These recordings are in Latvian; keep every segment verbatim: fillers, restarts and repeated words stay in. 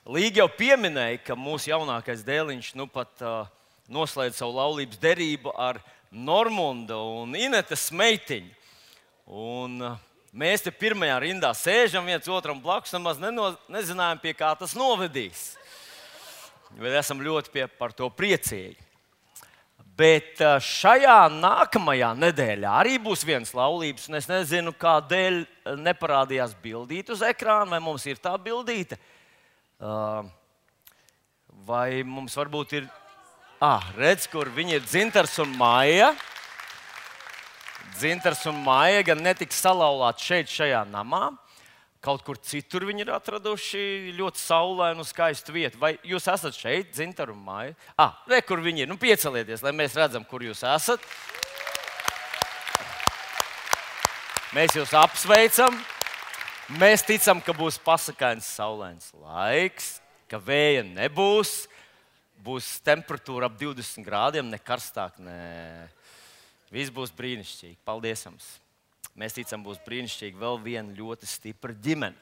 Līga jau pieminēja, ka mūsu jaunākais dēliņš nu pat uh, noslēdz savu laulības derību ar Normundu un Inetes meitiņu. Un, uh, mēs te pirmajā rindā sēžam viens otram blakus, nemaz neno, nezinājām, pie kā tas novedīs. Bet esam ļoti pie, par to priecīgi. Bet uh, šajā nākamajā nedēļā arī būs viens laulības, un es nezinu, kādēļ neparādījās bildīte uz ekrāna, vai mums ir tā bildīte. Uh, vai mums varbūt ir... Ah, redz, kur viņi ir Dzintars un Maija. Dzintars un Maija gan netiks salauzāti šeit, šajā namā. Kaut kur citur viņi ir atraduši ļoti saulainu un skaistu vietu. Vai jūs esat šeit, Dzintar un Maija? Ah, re, kur viņi ir. Nu, piecelieties, lai mēs redzam, kur jūs esat. Mēs jūs apsveicam. Mēs ticam, ka būs pasakains, saulains laiks, ka vēja nebūs, būs temperatūra ap divdesmit grādiem, ne karstāk, ne. Viss būs brīnišķīgi. Paldies jums! Mēs ticam, būs brīnišķīgi vēl viena ļoti stipra ģimene.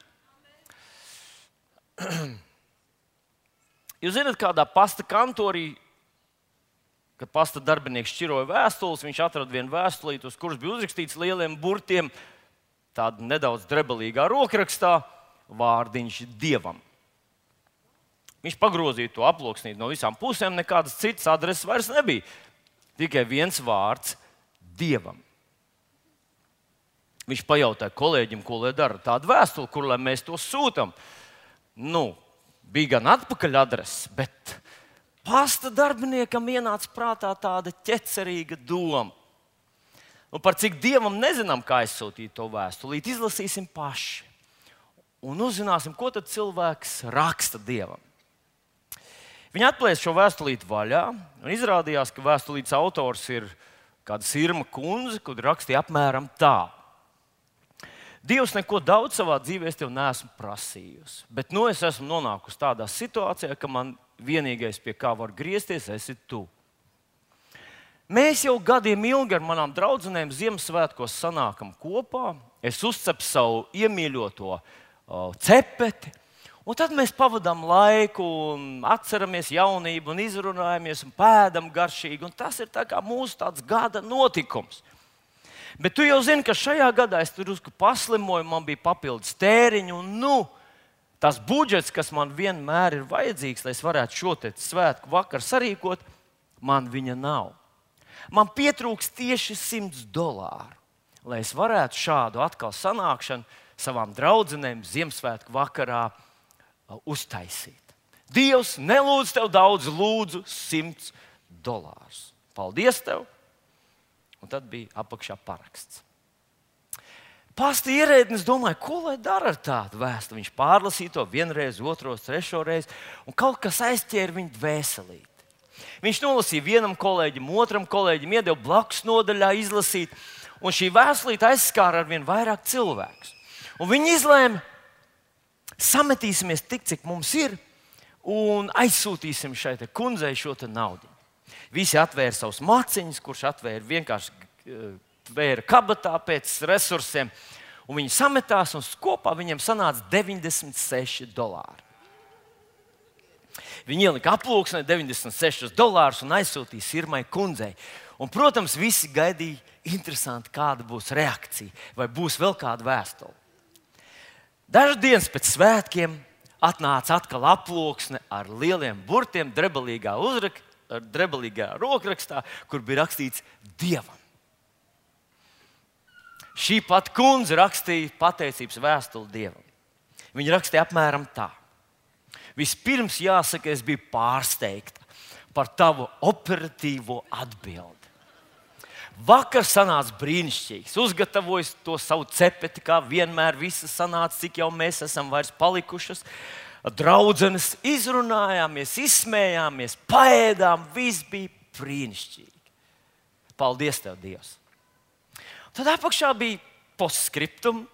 Jūs zināt, kādā pasta kantorī, kad pasta darbinieks šķiroja vēstules, viņš atrada vienu vēstulīti, uz kuras bija uzrakstīts lieliem burtiem, tāda nedaudz drebelīgā rokrakstā, vārdiņš Dievam. Viņš pagrozīja to aploksnīt no visām pusēm, nekādas citas adreses vairs nebija. Tikai viens vārds Dievam. Viņš pajautāja kolēģim, ko lai dara tādu vēstuli, kur lai mēs to sūtam. Nu, bija gan atpakaļ adreses, bet pasta darbiniekam ienāca prātā tāda ķecerīga doma. Un par cik Dievam nezinām, kā aizsūtīt to vēstulīt, izlasīsim paši. Un uzzināsim, ko tad cilvēks raksta Dievam. Viņi atplēsa šo vēstulīti vaļā, un izrādījās, ka vēstulītes autors ir kāda Sirma kundze, kur rakstīja apmēram tā. Dievs neko daudz savā dzīvē es tev neesmu prasījusi, bet nu es esmu nonākusi tādā situācijā, ka man vienīgais, pie kā var griezties, esi tu. Mēs jau gadiem ilgi ar manām draudzenēm Ziemassvētkos sanākam kopā. Es uzcepu savu iemīļoto uh, cepeti, un tad mēs pavadām laiku, un atceramies jaunību, un izrunājamies, un pēdam garšīgi. Un tas ir tā kā mūsu tāds gada notikums. Bet tu jau zini, ka šajā gadā es tur drusku paslimoju, man bija papildus tēriņi, un nu, tas budžets, kas man vienmēr ir vajadzīgs, lai es varētu šo te svētku vakaru sarīkot, man viņa nav. Man pietrūks tieši simts dolāru, lai es varētu šādu atkal sanākšanu savām draudzenēm Ziemassvētku vakarā uztaisīt. Dievs, nelūdz tev daudz, lūdzu simts dolārus. Paldies tev! Un tad bija apakšā paraksts. Pasta ierēdnis domāja, ko lai dara ar tādu vēstu. Viņš pārlasīja to vienreiz, otros, trešo reizi, un kaut kas aizķēra viņu dvēselīt. Viņš nolasīja vienam kolēģim, otram kolēģim, iedeva blakus nodaļā izlasīt, un šī vēstulīte aizskāra ar vien vairāk cilvēkus. Un viņi izlēma, sametīsimies tik, cik mums ir, un aizsūtīsim šai te kundzei šo te naudu. Visi atvēra savus maciņus, kurš atvēra vienkārši tvēra kabatā pēc resursiem, un viņi sametās, un kopā viņiem sanāca deviņdesmit seši dolāri. Viņi ielika aploksnē deviņdesmit sešus dolārus un aizsūtīja Sirmai kundzei. Un, protams, visi gaidīja interesanti, kāda būs reakcija, vai būs vēl kāda vēstule. Dažas dienas pēc svētkiem atnāca atkal aploksne ar lieliem burtiem, drebelīgā, uzrak, drebelīgā rokrakstā, kur bija rakstīts Dievam. Šī pat kundze rakstīja pateicības vēstuli Dievam. Viņa rakstīja apmēram tā. Vispirms jāsaka, es biju pārsteigta par tavu operatīvo atbildi. Vakar sanāca brīnišķīgs. Uzgatavojis to savu cepeti, kā vienmēr viss sanāca, cik jau mēs esam vairs palikušas. Draudzenes izrunājāmies, izsmējāmies, paēdām, viss bija brīnišķīgi. Paldies tev, Dievs! Tad apakšā bija postskriptum,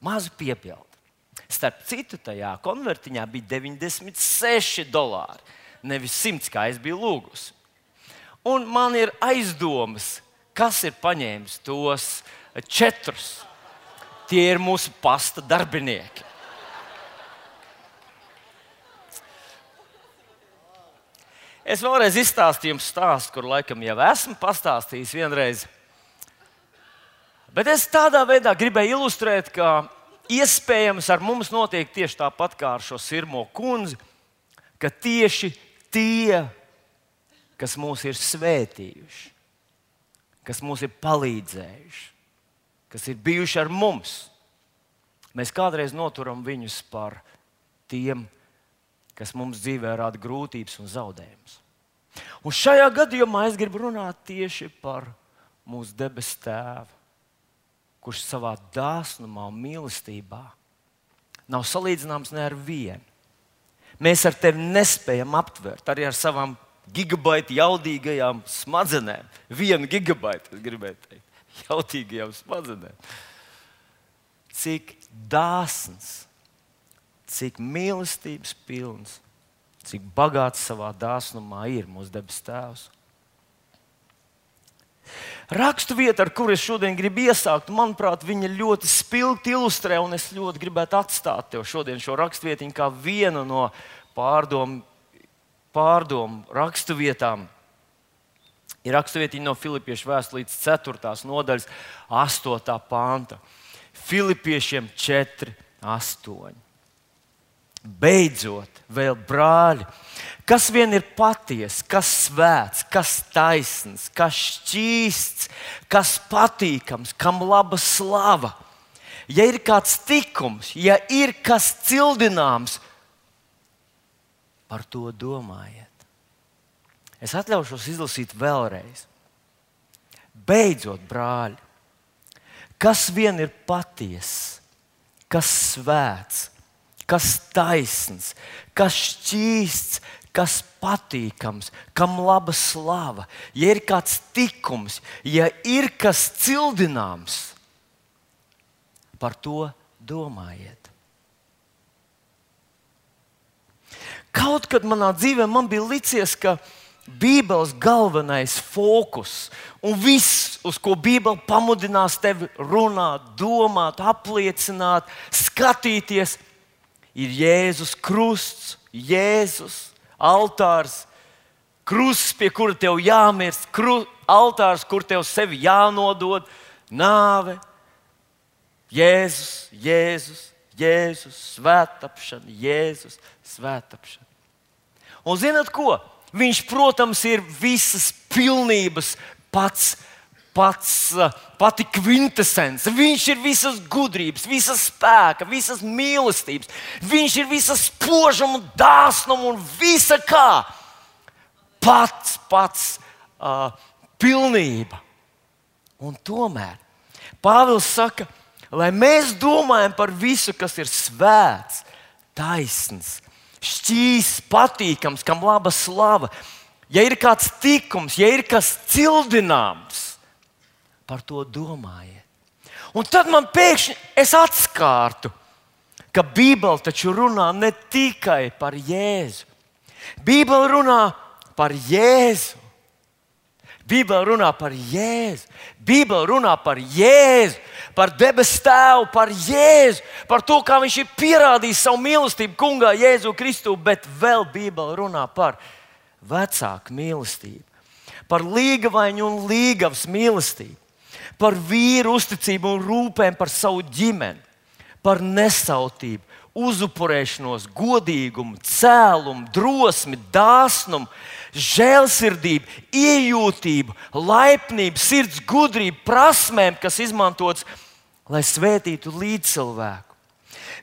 maza piebilde. Starp citu, tajā konvertiņā bija deviņdesmit seši dolāri, nevis simts, kā es biju lūgusi. Un man ir aizdomas, kas ir paņēmis tos četrus. Tie ir mūsu pasta darbinieki. Es vēlreiz izstāstīju jums stāstu, kur laikam jau esmu pastāstījis vienreiz. Bet es tādā veidā gribēju ilustrēt, ka iespējams ar mums notiek tieši tāpat kā ar šo Sirmo kundzi, ka tieši tie, kas mūs ir svētījuši, kas mums ir palīdzējuši, kas ir bijuši ar mums, mēs kādreiz noturam viņus par tiem, kas mums dzīvē rada grūtības un zaudējumus. Un šajā gadījumā es gribu runāt tieši par mūsu debesu Tēvu, kurš savā dāsnumā un mīlestībā nav salīdzināms ne ar vienu. Mēs ar tevi nespējam aptvert, arī ar savām gigabaita jaudīgajām smadzenēm. Vienu gigabaitu, es gribēju teikt, jaudīgajām smadzenēm. Cik dāsns, cik mīlestības pilns, cik bagāts savā dāsnumā ir mūsu debesu Tēvs. Raksturvieta, ar kuru es šodien gribu iesākt, manuprāt, viņa ļoti spilgti ilustrē, un es ļoti gribētu atstāt tev šodien šo raksturvietiņu kā vienu no pārdomu, pārdomu raksturvietām. Ir raksturvietiņa no Filipiešu vēstulītes ceturtās nodaļas, astotā panta. Filipiešiem četri, astoņi. Beidzot, vēl brāļi, kas vien ir patiesa, kas svēts, kas taisns, kas šķīsts, kas patīkams, kam laba slava. Ja ir kāds tikums, ja ir kas cildināms, par to domājiet. Es atļaušos izlasīt vēlreiz. Beidzot, brāļi, kas vien ir patiesa, kas svēts, kas taisns, kas šķīsts, kas patīkams, kam laba slava, ja ir kāds tikums, ja ir kas cildināms, par to domājiet. Kaut kad manā dzīvē man bija licies, ka Bībeles galvenais fokus un viss, uz ko Bībele pamudinās tevi runāt, domāt, apliecināt, skatīties, ir Jēzus krusts, Jēzus altārs, krusts, pie kura tev jāmirst, kru, altārs, kur tev sevi jānodod, nāve, Jēzus, Jēzus, Jēzus, svētapšana, Jēzus, svētapšana. Un zināt ko? Viņš, protams, ir visas pilnības pats, pats, pati kvintesence. Viņš ir visas gudrības, visas spēka, visas mīlestības. Viņš ir visas spožuma, dāsnuma un visa kā. Pats, pats uh, pilnība. Un tomēr Pāvils saka, lai mēs domājam par visu, kas ir svēts, taisns, šķīsts, patīkams, kam laba slava. Ja ir kāds tikums, ja ir kas cildināms, par to domājiet. Un tad man pēkšņi es atskārtu, ka Bībele taču runā ne tikai par Jēzu. Bībele runā par Jēzu. Bībele runā par Jēzu. Bībele runā par Jēzu, par debesu Tēvu, par Jēzu, par to, kā viņš ir pierādījis savu mīlestību Kungā Jēzu Kristu, bet vēl Bībele runā par vecāku mīlestību, par līgavainu un līgavas mīlestību, par vīru uzticību un rūpēm par savu ģimeni, par nesautību, uzupurēšanos, godīgumu, cēlumu, drosmi, dāsnumu, žēlsirdību, iejūtību, laipnību, sirds gudrību, prasmēm, kas izmantotas, lai svētītu līdzcilvēku.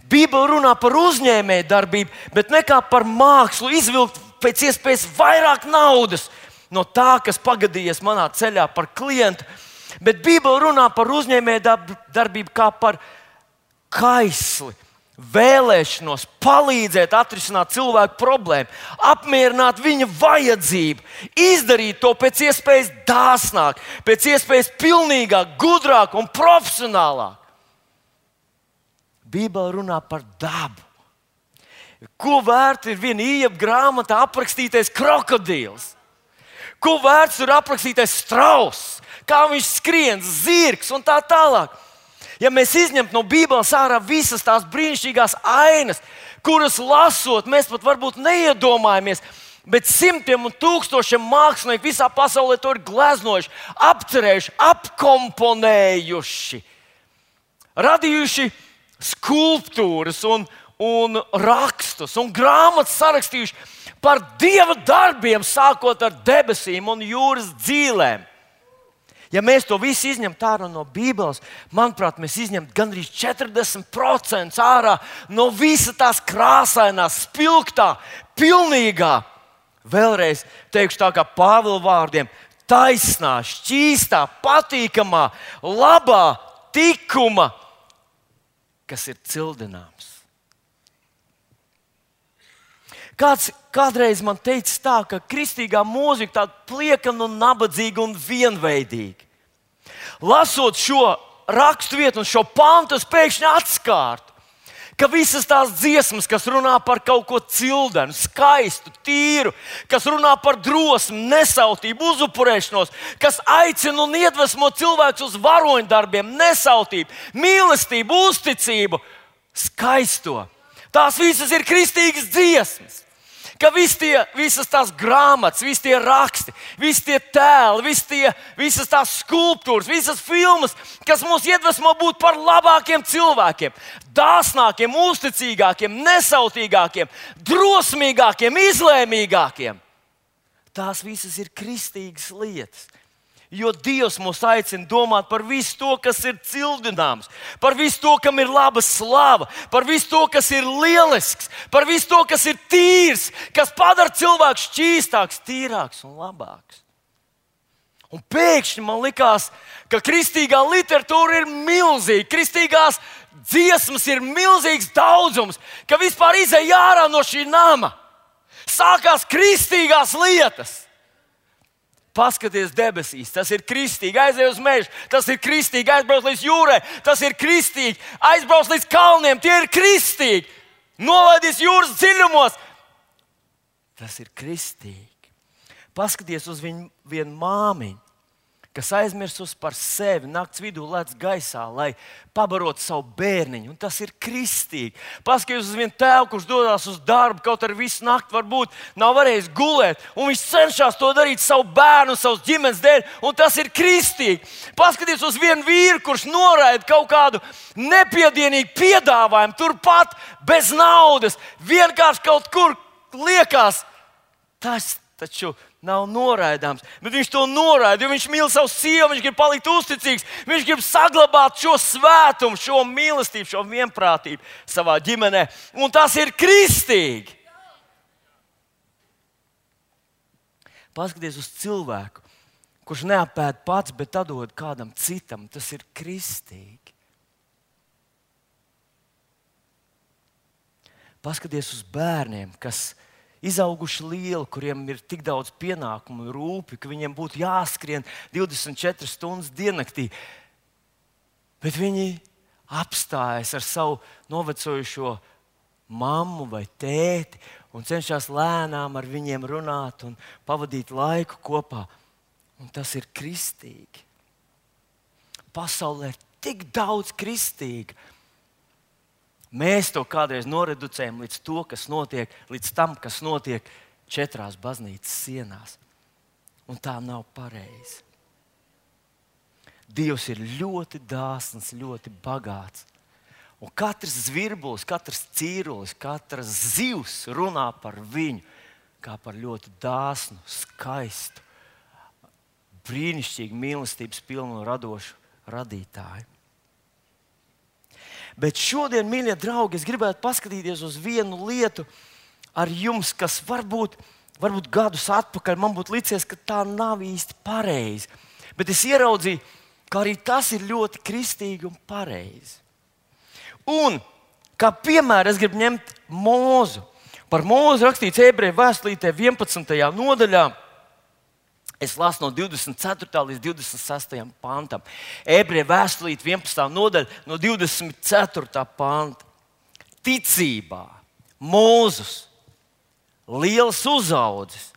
Bībele runā par uzņēmēju darbību, bet ne kā par mākslu izvilkt pēc iespējas vairāk naudas no tā, kas pagadījies manā ceļā par klientu, bet Bībele runā par uzņēmēju darbību kā par kaisli, vēlēšanos palīdzēt atrisināt cilvēku problēmu, apmierināt viņa vajadzību, izdarīt to pēc iespējas dāsnāk, pēc iespējas pilnīgāk, gudrāk un profesionālāk. Bībele runā par dabu. Ko vērts ir viena Ījaba grāmatā aprakstītais krokodils? Ko vērts ir aprakstītais strauss? Kā viņš skrien, zirgs un tā tālāk? Ja mēs izņemtu no Bībeles ārā visas tās brīnišķīgās ainas, kuras lasot, mēs pat varbūt neiedomājamies, Bet simtiem un tūkstošiem mākslinieku visā pasaulē to ir gleznojuši, apcerējuši, apkomponējuši, radījuši skulptūras un, un rakstus un grāmatas sarakstījuši par Dieva darbiem, sākot ar debesīm un jūras dzīlēm. Ja mēs to visu izņemtu ārā no Bībeles, manuprāt, mēs izņemtu gandrīz četrdesmit procentus ārā no visa tās krāsainā, spilgtā, pilnīgā. Vēlreiz teikšu tā kā Pāvila vārdiem - taisnā, šķīstā, patīkamā, labā tikuma, kas ir cildināms. Kāds kādreiz man teica tā, ka kristīgā mūzika tāda pliekana un nabadzīga un vienveidīga. Lasot šo raksturvietu un šo pantu, es pēkšņi atskārtu, ka visas tās dziesmas, kas runā par kaut ko cildenu, skaistu, tīru, kas runā par drosmi, nesautību, uzupurēšanos, kas aicina un iedvesmo cilvēkus uz varoņdarbiem, nesautību, mīlestību, uzticību, skaisto. Tās visas ir kristīgas dziesmas. Ka vis tie, visas tās grāmatas, visi tie raksti, visi tie tēli, visi tie, visas tās skulptūras, visas filmas, kas mūs iedvesmo būt par labākiem cilvēkiem, dāsnākiem, uzticīgākiem, nesautīgākiem, drosmīgākiem, izlēmīgākiem. Tās visas ir kristīgas lietas. Jo Dievs mūs aicina domāt par visu to, kas ir cildināms, par visu to, kam ir laba slava, par visu to, kas ir lielisks, par visu to, kas ir tīrs, kas padara cilvēku šķīstāks, tīrāks un labāks. Un pēkšņi man likās, ka kristīgā literatūra ir milzīga, kristīgās dziesmas ir milzīgs daudzums, ka vispār izej ārā no šī nama. Sākās kristīgās lietas. Paskaties debesīs, tas ir kristīgi, aizej uz mežu, tas ir kristīgi, aizbrauc līdz jūrai, tas ir kristīgi, aizbrauc līdz kalniem, tie ir kristīgi, nolaidies jūras dziļumos, tas ir kristīgi. Paskaties uz viņu vienu māmiņu, kas aizmirsus par sevi, nakts vidū lec gaisā, lai pabarotu savu bērniņu, un tas ir kristīgi. Paskaties uz vienu tēvu, kurš dodas uz darbu, kaut arī visu nakti varbūt nav varējis gulēt, un viņš cenšas to darīt savu bērnu, savas ģimenes dēļ, un tas ir kristīgi. Paskaties uz vienu vīru, kurš noraida kaut kādu nepiedienīgu piedāvājumu, turpat bez naudas, vienkārši kaut kur liekas, tas taču nav noraidāms, bet viņš to noraida, jo viņš mīl savu sievu, viņš grib palikt uzticīgs, viņš grib saglabāt šo svētumu, šo mīlestību, šo vienprātību savā ģimenē, un tas ir kristīgi. Paskaties uz cilvēku, kurš neapēd pats, bet atdod kādam citam, tas ir kristīgi. Paskaties uz bērniem, kas izauguši lieli, kuriem ir tik daudz pienākumu un rūpi, ka viņiem būtu jāskrien divdesmit četras stundas diennaktī. Bet viņi apstājas ar savu novecojušo mammu vai tēti un cenšas lēnām ar viņiem runāt un pavadīt laiku kopā. Un tas ir kristīgi. Pasaulē ir tik daudz kristīga. Mēs to kādreiz noreducējam līdz, to, kas notiek, līdz tam, kas notiek četrās baznīcas sienās. Un tā nav pareizi. Dievs ir ļoti dāsns, ļoti bagāts. Un katrs zvirbulis, katrs cīrulis, katrs zivs runā par viņu kā par ļoti dāsnu, skaistu, brīnišķīgu, mīlestības pilnu un radošu radītāju. Bet šodien, mīļie draugi, es gribētu paskatīties uz vienu lietu ar jums, kas varbūt, varbūt gadus atpakaļ man būtu licies, ka tā nav īsti pareizi. Bet es ieraudzīju, ka arī tas ir ļoti kristīgi un pareizi. Un, kā piemēru, es gribu ņemt Mūzu. Par Mūzu rakstīts Ebreju vēstulītē vienpadsmitajā nodaļā. Es lasu no divdesmit ceturtā līdz divdesmit sestajam pantam. Ebreju vēstulīte vienpadsmitā nodaļa no divdesmit ceturtā panta. Ticībā Mūzes, liels uzaudzis,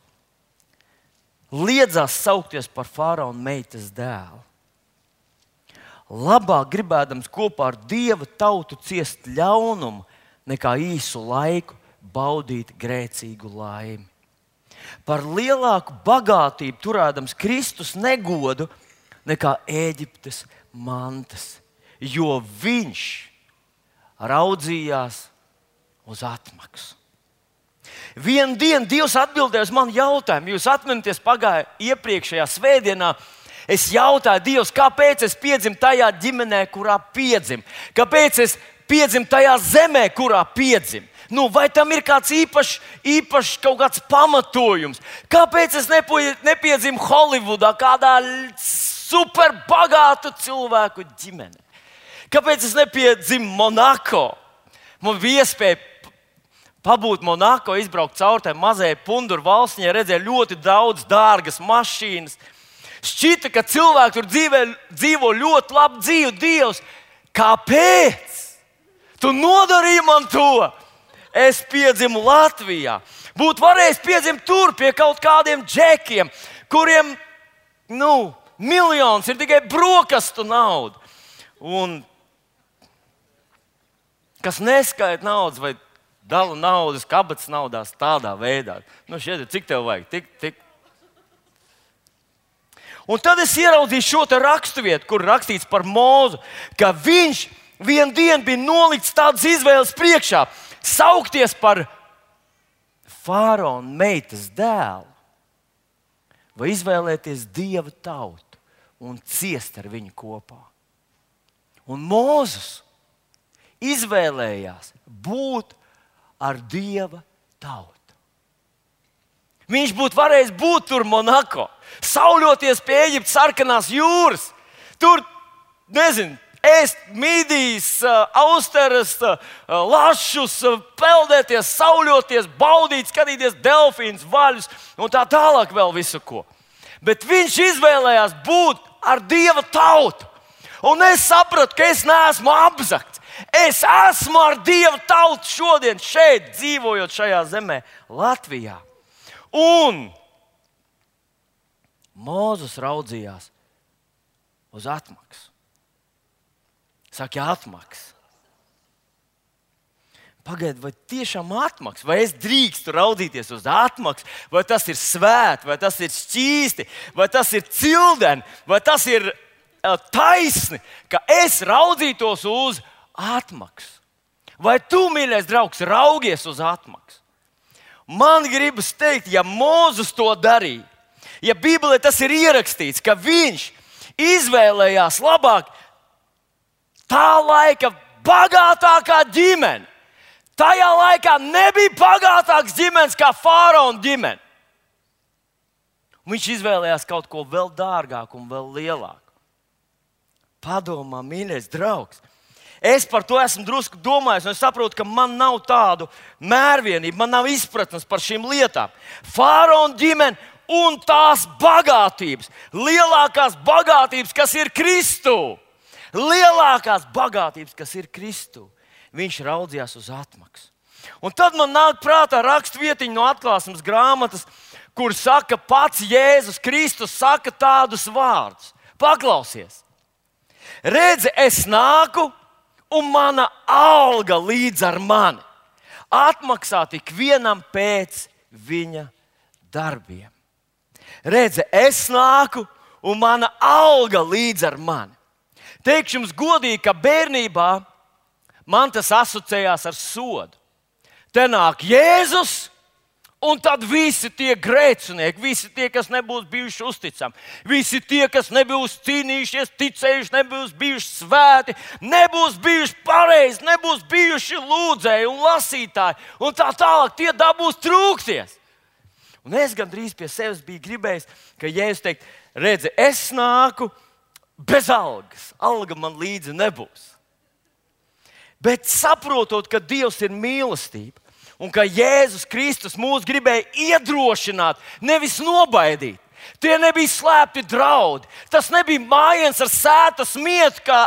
liedzās saukties par faraona meitas dēlu. Labāk gribēdams kopā ar Dieva tautu ciest ļaunumu, nekā īsu laiku baudīt grēcīgu laimi. par lielāku bagātību turēdams Kristus negodu nekā Ēģiptes mantas, jo viņš raudzījās uz atmaksu. Vienu dienu Dievs atbildēja uz manu jautājumu. Jūs atminaties, pagāja iepriekšējā svētdienā. Es jautāju Dievs, kāpēc es piedzimu tajā ģimenē, kurā piedzimu? Kāpēc es piedzimu tajā zemē, kurā piedzimu? Nu, vai tam ir kāds īpašs, īpašs kaut kāds pamatojums? Kāpēc es nepiedzimu Holivudā, kādā superbagātu cilvēku ģimenē? Kāpēc es nepiedzimu Monako? Man bija iespēja pabūt Monako, izbraukt caur tai mazajai punduru valstiņai, redzēju ļoti daudz dārgas mašīnas. Šķita, ka cilvēki tur dzīvē, dzīvo ļoti labu dzīvi. Dievs, kāpēc? Tu nodarīji man to! Es piedzimu Latvijā. Būtu varējis piedzimt tur pie kaut kādiem džekiem, kuriem, nu, miljons ir tikai brokastu nauda. Un kas neskaita naudas vai dala naudas kabatas naudās tādā veidā. Nu, šeit, cik tev vajag? Tik, tik. Un tad es ieraudzīju šo te raksturvietu, kur rakstīts par Mūzu, ka viņš vienu dienu bija nolikts tādas izvēles priekšā. Saukties par faraona meitas dēlu vai izvēlēties Dieva tautu un ciest ar viņu kopā. Un Mūzes izvēlējās būt ar Dieva tautu. Viņš būtu varējis būt tur Monako, sauļoties pie Ēģiptes sarkanās jūras, tur, nezinu, ēst midijas, austeres, lašus, peldēties, sauļoties, baudīt, skatīties delfīnus, vaļus un tā tālāk vēl visu ko. Bet viņš izvēlējās būt ar Dieva tautu. Un es sapratu, ka es neesmu apzakts. Es esmu ar Dieva tautu šodien šeit, dzīvojot šajā zemē, Latvijā. Un Mūzes raudzījās uz atmaksu. Saka, ja atmaksa. Pagaid, vai tiešām atmaksa? Vai es drīkstu raudzīties uz atmaksu? Vai tas ir svēti, vai tas ir šķīsti, vai tas ir cildeni, vai tas ir uh, taisni, ka es raudzītos uz atmaksu? Vai tu, mīļais draugs, raugies uz atmaksu? Man gribas teikt, ja Mūzes to darīja, ja Bībelē tas ir ierakstīts, ka viņš izvēlējās labāk tā laika bagātākā ģimene. Tajā laikā nebija bagātāks ģimenes kā faraona ģimene. Viņš izvēlējās kaut ko vēl dārgāku un vēl lielāku. Padomā, mīļais draugs. Es par to esmu drusku domājis, un es saprotu, ka man nav tādu mērvienību, man nav izpratnes par šīm lietām. Faraona ģimene un tās bagātības, lielākās bagātības, kas ir Kristū. Lielākās bagātības, kas ir Kristū. Viņš raudzījās uz atmaksu. Un tad man nāk prātā rakstvietiņa no Atklāsmes grāmatas, kur saka pats Jēzus Kristus, saka tādus vārdus. Paklausies! Redzi, es nāku, un mana alga līdz ar mani. Atmaksāt ikvienam pēc viņa darbiem. Redzi, es nāku, un mana alga līdz ar mani. Teikšu jums godīgi, ka bērnībā man tas asociējās ar sodu. Te nāk Jēzus, un tad visi tie grēcinieki, visi tie, kas nebūs bijuši uzticami, visi tie, kas nebūs cīnījušies, ticējuši, nebūs bijuši svēti, nebūs bijuši pareizi, nebūs bijuši lūdzēji un lasītāji, un tā tālāk tie dabūs trūkties. Un es gandrīz pie sevis biju gribējis, ka Jēzus teikt, redzi, es nāku bez algas, alga man līdzi nebūs. Bet saprotot, ka Dievs ir mīlestība un ka Jēzus Kristus mūs gribēja iedrošināt, nevis nobaidīt. Tie nebija slēpti draudi. Tas nebija mājiens ar sētas mietu, kā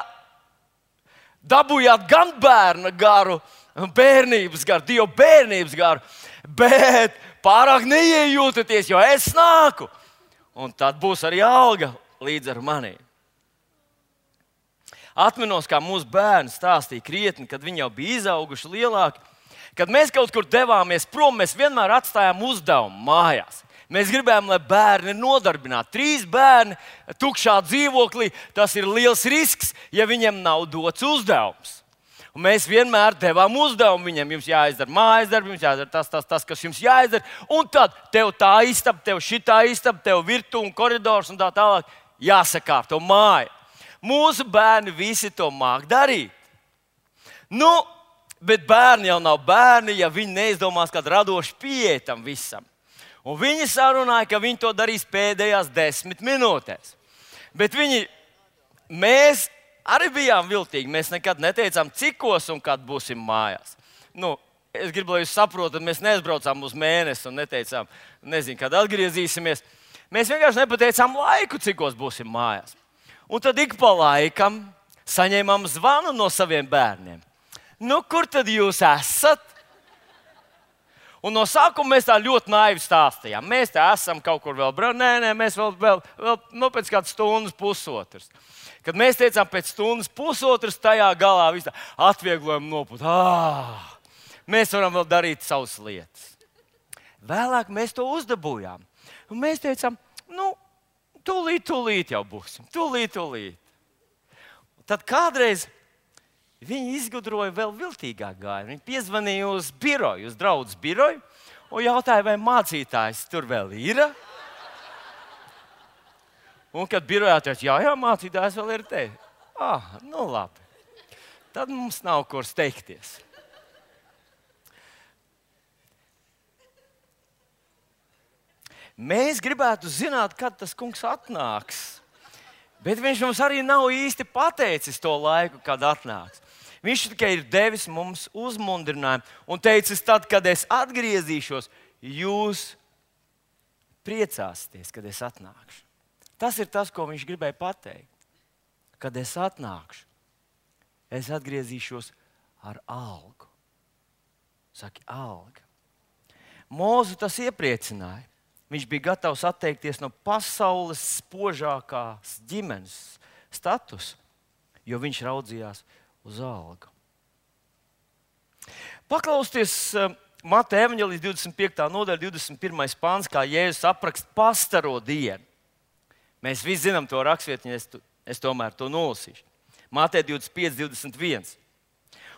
dabūjāt gan bērna garu, bērnības garu, Dieva bērnības garu, bet pārāk neiejūtaties, jo es nāku. Un tad būs arī alga līdz ar maniem. Atminos, kā mūsu bērni stāstīja krietni, kad viņi jau bija izauguši lielāki, Kad mēs kaut kur devāmies prom, mēs vienmēr atstājām uzdevumu mājās. Mēs gribējām, lai bērni ir nodarbināti. Trīs bērni tukšā dzīvoklī, tas ir liels risks, ja viņiem nav dots uzdevums. Un mēs vienmēr devām uzdevumu viņiem. Jums jāizdara mājas darbi, jums jāizdara tas, tas, tas, kas jums jāizdara. Un tad tev tā istaba, tev šitā istaba, tev virtuve un koridors un tā tālāk jāsakārto māja. Mūsu bērni visi to māk darīt. Nu, bet bērni jau nav bērni, ja viņi neizdomās kādu radošu pieeju tam visam. Un viņi sarunāja, ka viņi to darīs pēdējās desmit minūtēs. Bet viņi, mēs arī bijām viltīgi. Mēs nekad neteicām, cikos un kad būsim mājās. Nu, es gribu, lai jūs saprotat, mēs neaizbraucām uz mēnesi un neteicām, nezinu, kad atgriezīsimies. Mēs vienkārši nepateicām laiku, cikos būsim mājās. Un tad ik pa laikam saņēmām zvanu no saviem bērniem. Nu, kur tad jūs esat? Un no sākuma mēs tā ļoti naivi stāstījām. Mēs tā esam kaut kur vēl braucam. Nē, nē, mēs vēl, vēl, vēl nu, pēc kādas stundas, pusotras. Kad mēs teicām, pēc stundas, pusotras, tajā galā viss atvieglojam nopūt. Ah, mēs varam vēl darīt savas lietas. Vēlāk mēs to uzdabūjām. Un mēs teicām, nu, tūlīt, tūlīt jau būsim. Tūlīt, tūlīt. Tad kādreiz viņi izgudroja vēl viltīgāk gāju. Viņi piezvanīja uz biroju, uz draudzes biroju un jautāja, vai mācītājs tur vēl ir. Un kad birojā teica, jā, jā, mācītājs vēl ir te. Ah, nu labi. Tad mums nav kur steigties. Mēs gribētu zināt, kad tas kungs atnāks. Bet viņš mums arī nav īsti pateicis to laiku, kad atnāks. Viņš tikai ir devis mums uzmundrinājumu un teicis, tad, kad es atgriezīšos, jūs priecāsieties, kad es atnākšu. Tas ir tas, ko viņš gribēja pateikt. Kad es atnākšu, es atgriezīšos ar algu. Saki, alga. Mūzu tas iepriecināja. Viņš bija gatavs atteikties no pasaules spožākās ģimenes statusa, jo viņš raudzījās uz algu. Paklausieties Mateja evaņģēlijas divdesmit piektā nodaļa, divdesmit pirmais pāns, kā Jēzus apraksta pastaro dienu. Mēs visi zinām to rakstvietiņu, es, es tomēr to nolasīšu. Mateja divdesmit pieci, divdesmit viens.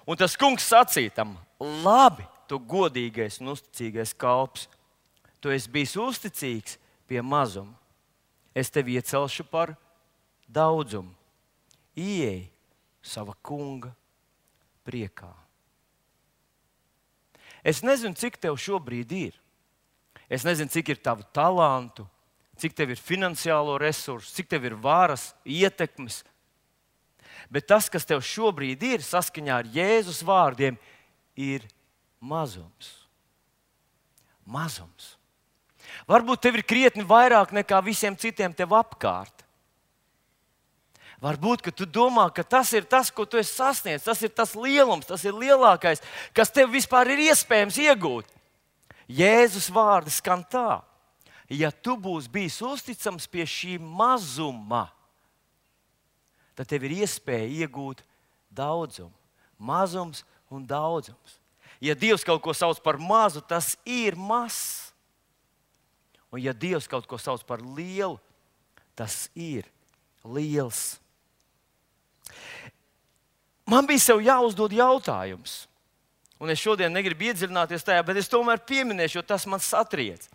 Un tas kungs sacīja tam, labi, tu godīgais un uzticīgais kalps. Tu esi bijis uzticīgs pie mazuma. Es tevi iecelšu par daudzumu. Ieej sava kunga priekā. Es nezinu, cik tev šobrīd ir. Es nezinu, cik ir tavu talantu, cik tev ir finansiālo resursu, cik tev ir varas, ietekmes. Bet tas, kas tev šobrīd ir, saskaņā ar Jēzus vārdiem, ir mazums. Mazums. Varbūt tev ir krietni vairāk nekā visiem citiem tev apkārt. Varbūt, ka tu domā, ka tas ir tas, ko tu esi sasniedzis, tas ir tas lielums, tas ir lielākais, kas tev vispār ir iespējams iegūt. Jēzus vārdi skan tā, ja tu būsi bijis uzticams pie šī mazuma, tad tev ir iespēja iegūt daudzumu. Mazums un daudzums. Ja Dievs kaut ko sauc par mazu, tas ir mazs. Un ja Dievs kaut ko sauc par lielu, tas ir liels. Man bija sev jāuzdod jautājums. Un es šodien negribu iedziļināties tajā, bet es tomēr pieminēšu, jo tas man satriec.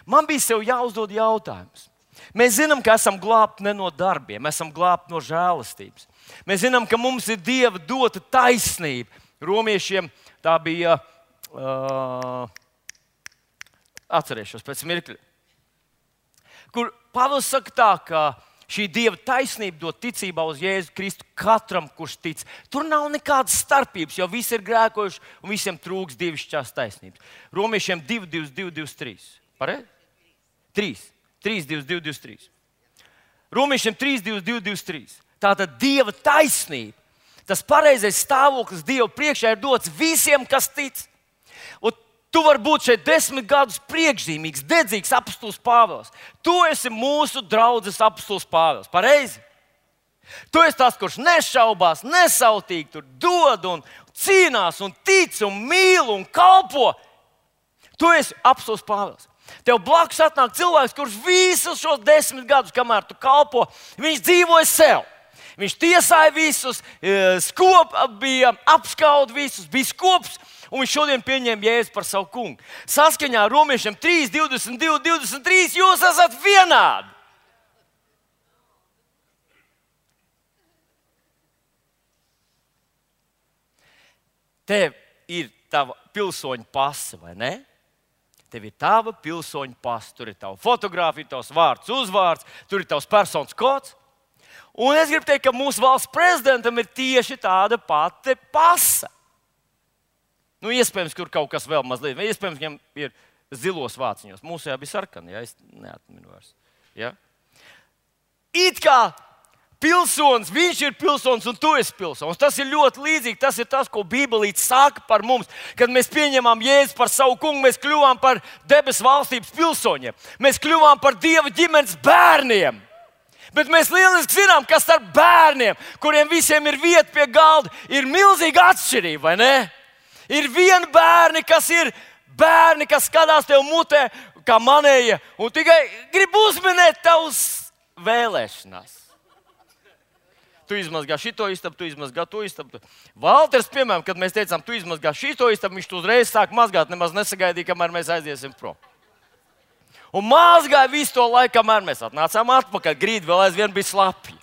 Man bija sev jāuzdod jautājums. Mēs zinām, ka esam glābti ne no darbiem, esam glābti no žēlastības. Mēs zinām, ka mums ir Dieva dota taisnība. Romiešiem tā bija... Uh, Atcerēšos pēc mirkļa. Kur Pāvils saka tā, ka šī Dieva taisnība dod ticībā uz Jēzu Kristu katram, kurš tic. Tur nav nekādas starpības, jo visi ir grēkojuši un visiem trūks dievišķās taisnības. Romiešiem divi, divi, divi, divi, trīs. Pareizi? trīs. trīs, divi, divi, divi, trīs. Romiešiem trīs, divi, divi, divi, trīs. Tātad Dieva taisnība, tas pareizais stāvoklis Dieva priekšā ir dots visiem, kas tic. Un tu vari būt šeit desmit gadus priekšzīmīgs, dedzīgs apostols Pāvils. Tu esi mūsu draudzes apostols Pāvils. Pareizi? Tu esi tas, kurš nešaubās, nesautīgi tur dod un cīnās, un tic, un mīl, un kalpo. Tu esi apostols Pāvils. Tev blakus atnāk cilvēks, kurš visus šos desmit gadus, kamēr tu kalpo, viņš dzīvoja sev. Viņš tiesāja visus, skop, bija apskaud visus, bija skops, un viņš šodien pieņēma Jēzu par savu kungu. Saskaņā ar Romiešiem trīs, divdesmit divi, divdesmit trīs jūs esat vienādi. Tev ir tava pilsoņa pase, vai ne? Tev ir tava pilsoņa pase. Tur ir tava fotografija, tavs vārds, uzvārds, tur ir tavs personas kods. Un es gribu teikt, ka mūsu valsts prezidentam ir tieši tāda pati pase. Nu, iespējams, kur kaut kas vēl mazliet, vai iespējams, viņam ir zilos vāciņos. Mūsu jā bija sarkani, ja es neatminu vairs. Ja? It kā pilsonis, viņš ir pilsonis un tu esi pilsonis. Tas ir ļoti līdzīgi. Tas ir tas, ko Bībelīte saka par mums. Kad mēs pieņemam Jēzu par savu kungu, mēs kļuvām par debesu valstības pilsoņiem. Mēs kļuvām par Dieva ģimenes bērniem. Bet mēs lieliski zinām, ka starp bērniem, kuriem visiem ir vieta pie galda, ir milzīga atšķirība, vai ne? Ir vieni bērni, kas ir bērni, kas skatās tev mutē, kā manēja, un tikai grib uzminēt tavus vēlēšanās. Tu izmazgā šito istabu, tu izmazgā to istabu. Valters, piemēram, kad mēs teicām, tu izmazgā šito istabu, viņš to uzreiz sāk mazgāt, nemaz nesagaidīja, kamēr mēs aiziesim prom. Un mazgāja visu to laiku, kamēr mēs atnācām atpakaļ. Grīda vēl aizvien bija slapja.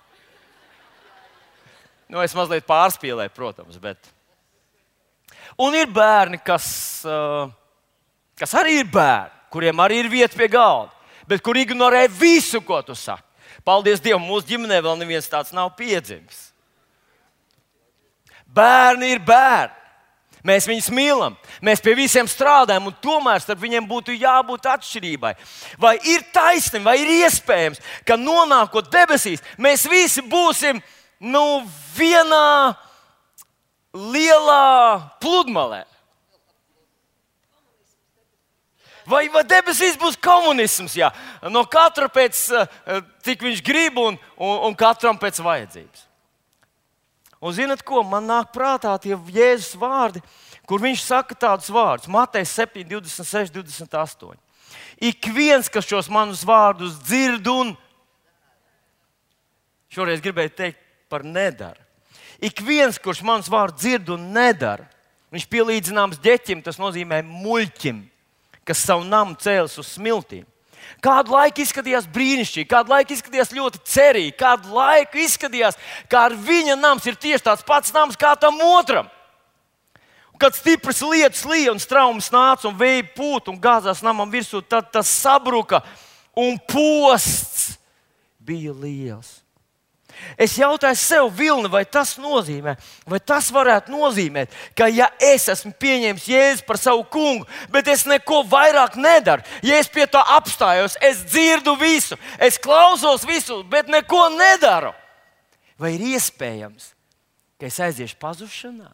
Nu, es mazliet pārspīlēju, protams, bet... Un ir bērni, kas, kas arī ir bērni, kuriem arī ir vieta pie galda, bet kur ignorē visu, ko tu saki. Paldies Dievam, mūsu ģimenē vēl neviens tāds nav piedzimis. Bērni ir bērni. Mēs viņus mīlam, mēs pie visiem strādājam, un tomēr starp viņiem būtu jābūt atšķirībai. Vai ir taisnība, vai ir iespējams, ka nonākot debesīs, mēs visi būsim nu, vienā lielā pludmalē? Vai, vai debesīs būs komunisms? Jā. No katra pēc, cik viņš grib, un, un, un katram pēc vajadzības. Un zinat ko, man nāk prātā tie Jēzus vārdi, kur viņš saka tādus vārdus. Mateja septiņi, divdesmit seši, divdesmit astoņi. Ik viens, kas šos manus vārdus dzird un šoreiz gribēju teikt par nedara. Ik viens, kurš manus vārdus dzird un nedara, viņš pielīdzināms ģeķim, tas nozīmē muļķim, kas savu namu cēlis uz smiltīm. Kādu laiku izskatījās brīnišķīgi, kādu laiku izskatījās ļoti cerīgi, kādu laiku izskatījās, kā ar viņa nams ir tieši tāds pats nams kā tam otram. Un kad stipras lietus lija un straums nāca un vēja pūt un gāzās namam virsū, tad tas sabruka un posts bija liels. Es jautāju sev, Vilni, vai tas nozīmē, vai tas varētu nozīmēt, ka ja es esmu pieņēmis Jēzu par savu kungu, bet es neko vairāk nedaru, ja es pie tā apstājos, es dzirdu visu, es klausos visu, bet neko nedaru, vai ir iespējams, ka es aiziešu pazušanā?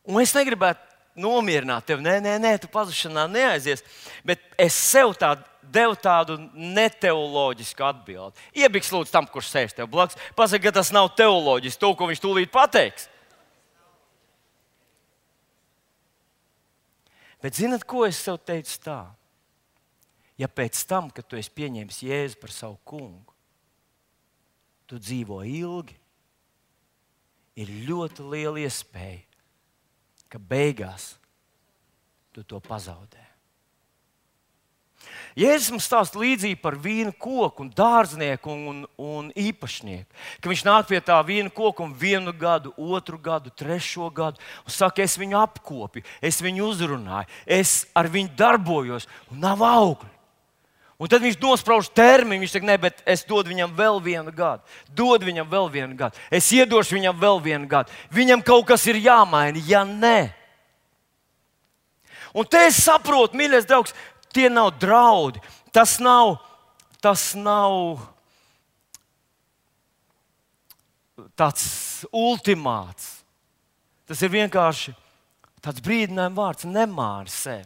Un es negribētu nomierināt tevi, nē, nē, nē, tu pazušanā neaizies, bet es sev tādu devu tādu neteoloģisku atbildi. Iebiks lūdzu tam, kurš sēž tev blakus. Pasaka, ka tas nav teoloģiski, to, ko viņš tūlīt pateiks. Bet zinat, ko es sev teicu tā? Ja pēc tam, kad tu esi pieņēmis Jēzu par savu kungu, tu dzīvo ilgi, ir ļoti liela iespēja, ka beigās tu to pazaudē. Jēzus mums stāsta līdzību par vīnu koku, un dārznieku un, un, un īpašnieku. Ka viņš nāk pie tā vīna koka un vienu gadu, otru gadu, trešo gadu un saka, es viņu apkopju, es viņu uzrunāju, es ar viņu darbojos un nav augļu. Un tad viņš nosprauž termiņu, viņš saka, ne, bet es dodu viņam vēl vienu gadu, dodu viņam vēl vienu gadu, es iedošu viņam vēl vienu gadu. Viņam kaut kas ir jāmaina, ja nē. Un te es saprotu, mīļais draugs, tie nav draudi, tas nav, tas nav tāds ultimāts. Tas ir vienkārši tāds brīdinājums vārds, nemāri sevi.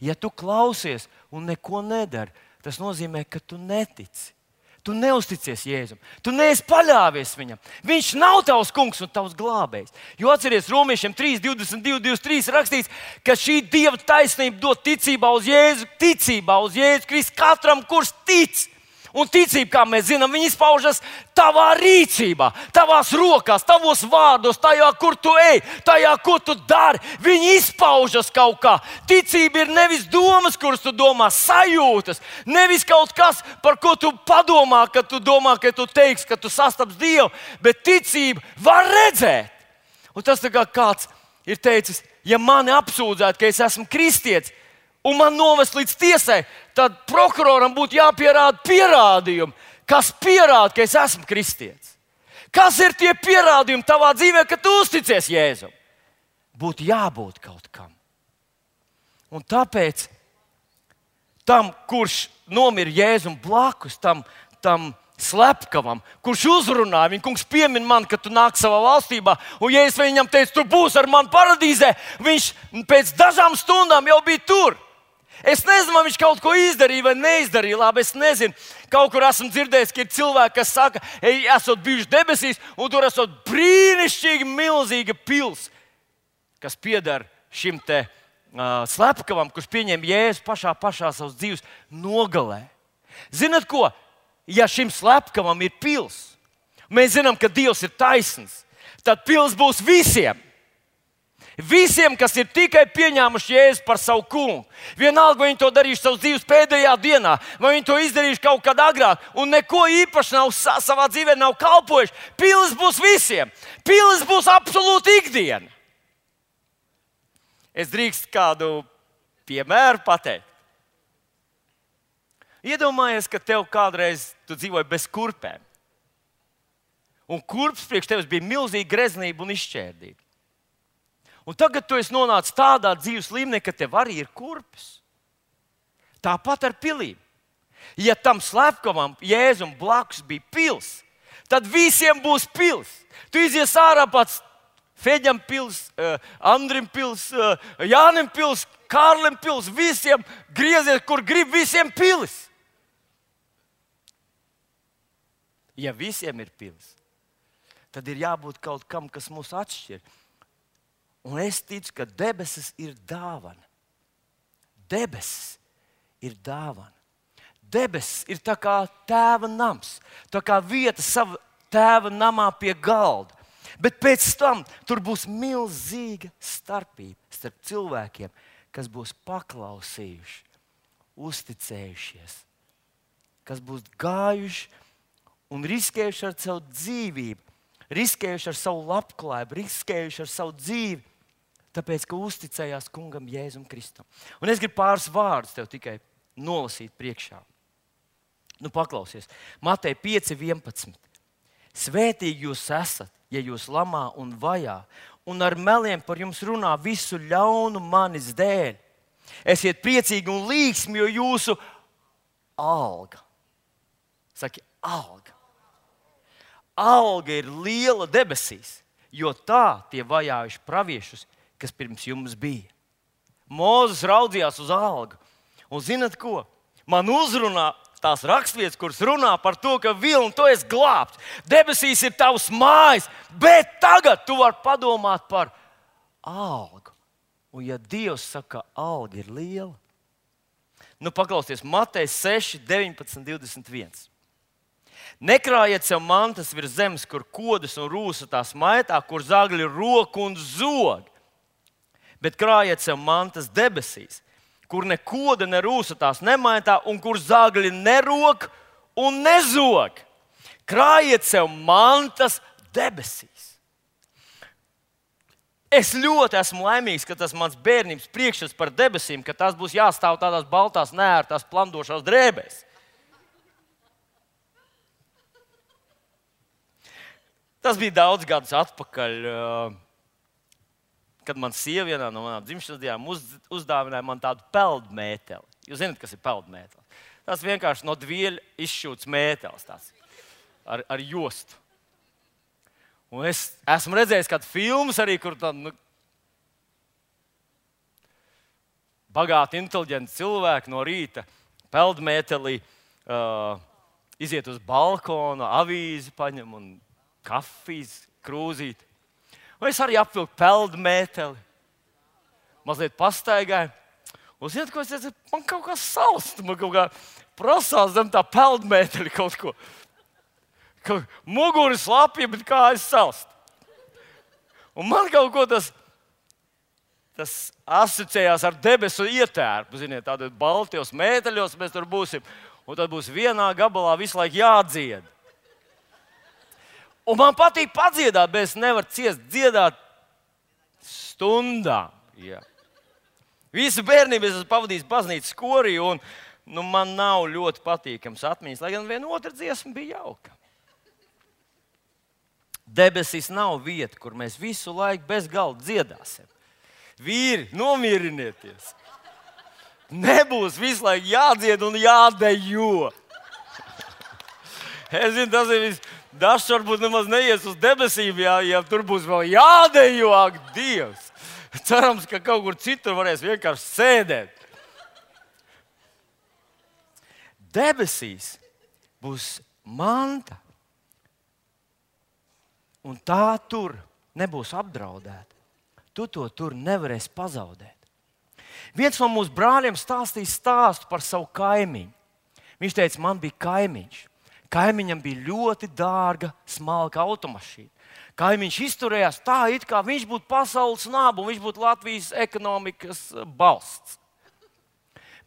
Ja tu klausies un neko nedari, tas nozīmē, ka tu netici. Tu neusticies Jēzum. Tu neesi paļāvies viņam. Viņš nav tavs kungs un tavs glābējs. Jo atceries, Romiešiem trīs, divdesmit divi, divdesmit trīs rakstīts, ka šī Dieva taisnība dod ticībā uz Jēzu, ticībā uz Jēzu Kristu katram, kurš tic. Un ticība, kā mēs zinām, viņa izpaužas tavā rīcībā, tavās rokās, tavos vārdos, tajā, kur tu ej, tajā, ko tu dari. Viņa izpaužas kaut kā. Ticība ir nevis domas, kuras tu domā, sajūtas, nevis kaut kas, par ko tu padomā, kad tu domā, ka tu teiksi, ka tu sastaps Dievu, bet ticība var redzēt. Un tas tā kā kāds ir teicis, ja mani apsūdzētu, ka es esmu kristietis, un man novest līdz tiesai, tad prokuroram būtu jāpierāda pierādījumi, kas pierāda, ka es esmu kristietis. Kas ir tie pierādījumi tavā dzīvē, ka tu uzticies Jēzum? Būtu jābūt kaut kam. Un tāpēc tam, kurš nomira Jēzum blakus, tam, tam slepkavam, kurš uzrunāja viņu, kungs piemin man, ka tu nāk savā valstībā, un ja es viņam teicu, tu būsi ar mani paradīzē, viņš pēc dažām stundām jau bija tur. Es nezinu, vai viņš kaut ko izdarīja vai neizdarīja. Labi, es nezinu. Kaut kur esmu dzirdējis, ka ir cilvēki, kas saka, ej, esot bijuši debesīs, un tur esot brīnišķīgi milzīga pils, kas pieder šim te uh, slepkavam, kurš pieņem Jēzu pašā, pašā savas dzīves nogalē. Zinat ko? Ja šim slepkavam ir pils, mēs zinām, ka Dievs ir taisns, tad pils būs visiem. Visiem, kas ir tikai pieņēmuši Jēzu par savu kungu. Vienalga, vai viņi to darījuši savas dzīves pēdējā dienā, vai viņi to izdarījuši kaut kad agrāk, un neko īpaši nav savā dzīvē nav kalpojuši. Pilis būs visiem. Pilis būs absolūti ikdiena. Es drīkstu kādu piemēru pateikt. Iedomājies, ka tev kādreiz tu dzīvoji bez kurpēm. Un kurps priekš tevis bija milzīga greznība un izšķērdība. Un tagad tu esi nonācis tādā dzīves līmenī, ka tev arī ir kurpes. Tāpat ar pilīm. Ja tam slepkavam Jēzum blakus bija pils, tad visiem būs pils. Tu izies ārā pats Feģam pils, Andrim pils, Jānim pils, Kārlim pils, visiem griezies, kur grib, visiem pilis. Ja visiem ir pils, tad ir jābūt kaut kam, kas mūs atšķir. Un es ticu, ka debesis ir dāvana. Debesis ir dāvana. Debesis ir tā kā tēva nams, tā kā vieta sava tēva namā pie galda. Bet pēc tam tur būs milzīga starpība starp cilvēkiem, kas būs paklausījuši, uzticējušies, kas būs gājuši un riskējuši ar savu dzīvību, riskējuši ar savu labklājību, riskējuši ar savu dzīvi, tāpēc, ka uzticējās kungam Jēzum Kristum. Un es gribu pāris vārdus tev tikai nolasīt priekšā. Nu, paklausies. Mateja pieci vienpadsmit. Svētīgi jūs esat, ja jūs lamā un vajā, un ar meliem par jums runā visu ļaunu manis dēļ. Esiet priecīgi un līgsmi, jo jūsu alga. Saki, alga. Alga ir liela debesīs, jo tā tie vajājuši praviešus, kas pirms jums bija. Mūzes raudzījās uz algu. Un zinat ko? Man uzrunā tās rakstvietas, kuras runā par to, ka vilni tu esi glābts. Debesīs ir tavs mājas, bet tagad tu vari padomāt par algu. Un ja Dievs saka, ka alga ir liela, nu paklausies, Mateja seši, deviņpadsmit, divdesmit viens. Nekrājiet sev mantas virs zemes, kur kodas un rūsa tās maitā, kur zagļi ir roku un zogi. Bet krājiet sev mantas debesīs, kur ne koda, ne rūsa tās nemaitā, un kur zagļi nerok un nezog. Krājiet sev mantas debesīs. Es ļoti esmu laimīgs, ka tas mans bērnības priekšstats par debesīm, ka tās būs jāstāv tādās baltās, neērtās, plandošās drēbēs. Tas bija daudz gadus atpakaļ, kad man sieva vienā no manām dzimšanas dienām uz, uzdāvināja man tādu peldmēteli. Jūs zināt, kas ir peldmētelis? Tas vienkārši no dvieļa izšķūts mētelis tāds, ar, ar jostu. Un es esmu redzējis kādu filmas arī, kur tādu nu, bagāti, inteliģenti cilvēki no rīta peldmētelī uh, iziet uz balkonu, avīzi paņem un kafijas krūzīt. Un es arī apvilku peldu mēteli, mazliet pastaigāju. Un ziniet, ko es teicu? Man kaut kā salst, man kaut kā prasās zem tā peldu mēteli kaut ko. Kaut muguri slapja, bet kājas salst. Un man kaut ko tas, tas asociējās ar debesu ietērpu. Ziniet, tādos baltajos mēteļos mēs tur būsim. Un tad būs vienā gabalā visu laiku jādzied. Un man patīk padziedāt, bet es nevaru ciest dziedāt stundām. Jā. Visu bērnību es esmu pavadījis baznīcas korī, un nu, man nav ļoti patīkams atmiņas, lai gan viena otra dziesma bija jauka. Debesīs nav vieta, kur mēs visu laiku bez galda dziedāsim. Vīri, nomierinieties! Nebūs visu laiku jādzied un jādejo. Es zinu, tas ir viss. Dažs varbūt nemaz neies uz debesīm, ja, ja tur būs vēl jādejo, ak, Dievs. Cerams, ka kaut kur citur varēs vienkārši sēdēt. Debesīs būs manta, un tā tur nebūs apdraudēta. Tu to tur nevarēsi pazaudēt. Viens no mūsu brāļiem stāstīja stāstu par savu kaimiņu. Viņš teica, man bija kaimiņš. Kaimiņam bija ļoti dārga, smalka automašīna. Kaimiņš izturējās tā, it kā viņš būtu pasaules naba un viņš būtu Latvijas ekonomikas balsts.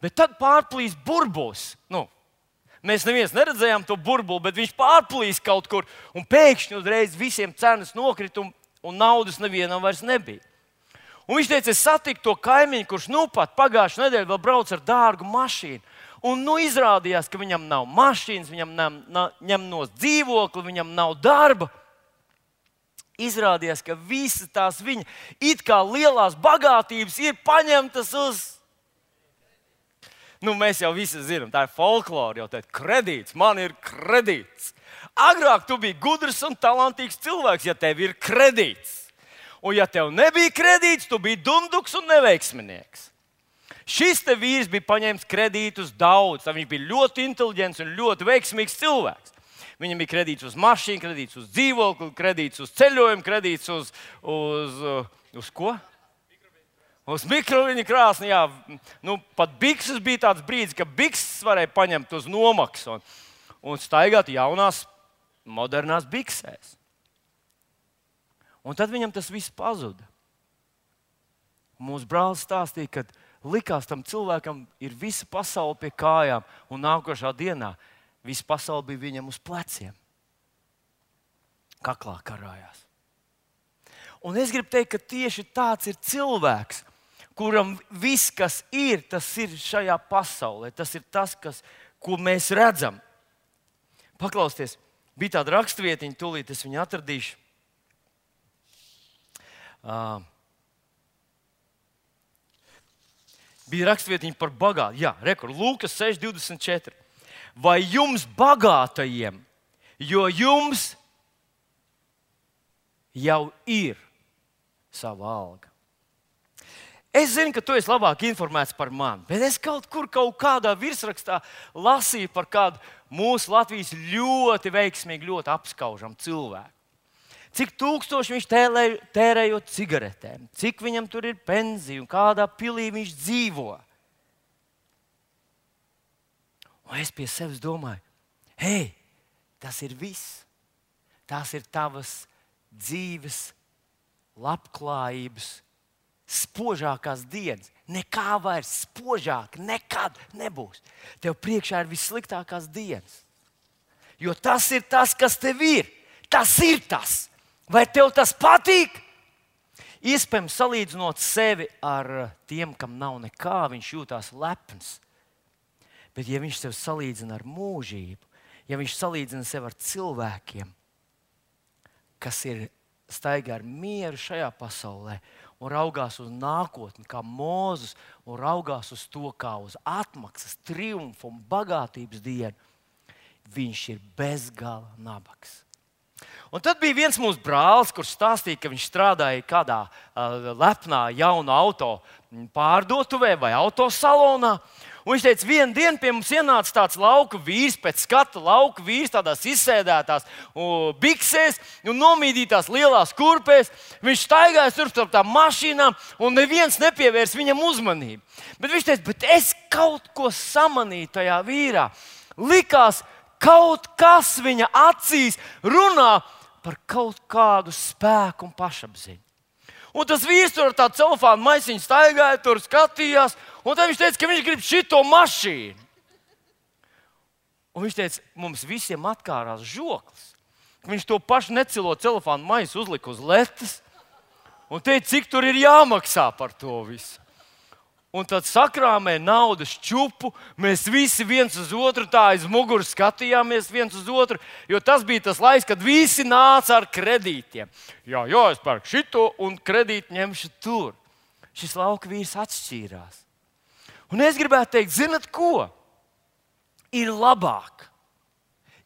Bet tad pārplīs burbulis. Nu, mēs neviens neredzējām to burbuli, bet viņš pārplīs kaut kur un pēkšņi uzreiz visiem cenas nokrita un, un naudas nevienam vairs nebija. Un viņš teica, es satiku to kaimiņu, kurš nu pat pagājušajā nedēļā vēl brauc ar dārgu mašīnu. Un nu izrādījās, ka viņam nav mašīnas, viņam nav, nav, ņem no dzīvokli, viņam nav darba. Izrādījās, ka visas tās viņa it kā lielās bagātības ir paņemtas uz... Nu, mēs jau visi zinām, tā ir folklore, jau tā ir kredīts, man ir kredīts. Agrāk tu biji gudrs un talantīgs cilvēks, ja tev ir kredīts. Un ja tev nebija kredīts, tu biji dunduks un neveiksminieks. Šis te vīrs bija paņēmis kredītus daudz. Viņš bija ļoti inteliģents un ļoti veiksmīgs cilvēks. Viņam bija kredīts uz mašīnu, kredīts uz dzīvokli, kredīts uz ceļojumu, kredīts uz, uz, uz ko? Uz mikroviņu krāsni. Jā. Nu, pat bikses bija tāds brīdis, ka bikses varēja paņemt uz nomaksu un, un staigāt jaunās, modernās biksēs. Un tad viņam tas viss pazuda. Mūsu brālis stāstīja, ka likās tam cilvēkam ir visa pasaule pie kājām, un nākošā dienā visa pasaule bija viņam uz pleciem. Kaklā karājās. Un es gribu teikt, ka tieši tāds ir cilvēks, kuram viss, kas ir, tas ir šajā pasaulē. Tas ir tas, kas, ko mēs redzam. Paklausieties, bija tāda rakstvietiņa, tūlīt es viņu atradīšu. Uh, Bija rakstvietiņa par bagātību. Jā, rekur, Lūkas seši divdesmit četri. Vai jums bagātajiem, jo jums jau ir sava alga. Es zinu, ka tu esi labāk informēts par mani, bet es kaut kur kaut kādā virsrakstā lasīju par kādu mūsu Latvijas ļoti veiksmīgu, ļoti apskaužamu cilvēku. Cik tūkstoši viņš tērējot cigaretēm, cik viņam tur ir pensija un kādā pilī viņš dzīvo. Un es pie sevis domāju, hei, tas ir viss. Tās ir tavas dzīves, labklājības, spožākās dienas. Nekā vairs spožāk nekad nebūs. Tev priekšā ir vissliktākās dienas. Jo tas ir tas, kas tev ir. Tas ir tas. Vai tev tas patīk? Iespējams, salīdzinot sevi ar tiem, kam nav nekā, viņš jūtās lepns. Bet, ja viņš sev salīdzina ar mūžību, ja viņš salīdzina sevi ar cilvēkiem, kas ir staigā ar mieru šajā pasaulē un raugās uz nākotni, kā Mūzes, un raugās uz to kā uz atmaksas, triumfu un bagātības dienu, viņš ir bezgala nabaks. Un tad bija viens mūsu brālis, kurš stāstīja, ka viņš strādāja kādā uh, lepnā jaunā auto pārdotuvē vai autosalonā. Un viņš teica, vienu dienu pie mums ienāca tāds lauka vīrs, pēc skata lauka vīrs, tādās izsēdētās uh, biksēs un nomīdītās lielās kurpēs. Viņš staigāja tur starp tām mašīnām un neviens nepievērs viņam uzmanību. Bet viņš teica, bet es kaut ko samanīju tajā vīrā. Likās, kaut kas viņa acīs runā par kaut kādu spēku un pašapziņu. Un tas vīrs tur ar tādu celofānu maisiņu staigāja, tur skatījās, un tad viņš teica, ka viņš grib šito mašīnu. Un viņš teica, mums visiem atkārās žoklis. Viņš to pašu necilo celofānu maisu uzlika uz letes un teica, cik tur ir jāmaksā par to visu. Un tad sakrāmē naudas čupu, mēs visi viens uz otru tā aiz muguras skatījāmies viens uz otru, jo tas bija tas laiks, kad visi nāca ar kredītiem. Jā, jā, es pērku šito un kredītu ņemšu tur. Šis lauka vīrs atšķīrās. Un es gribētu teikt, zinat ko? Ir labāk,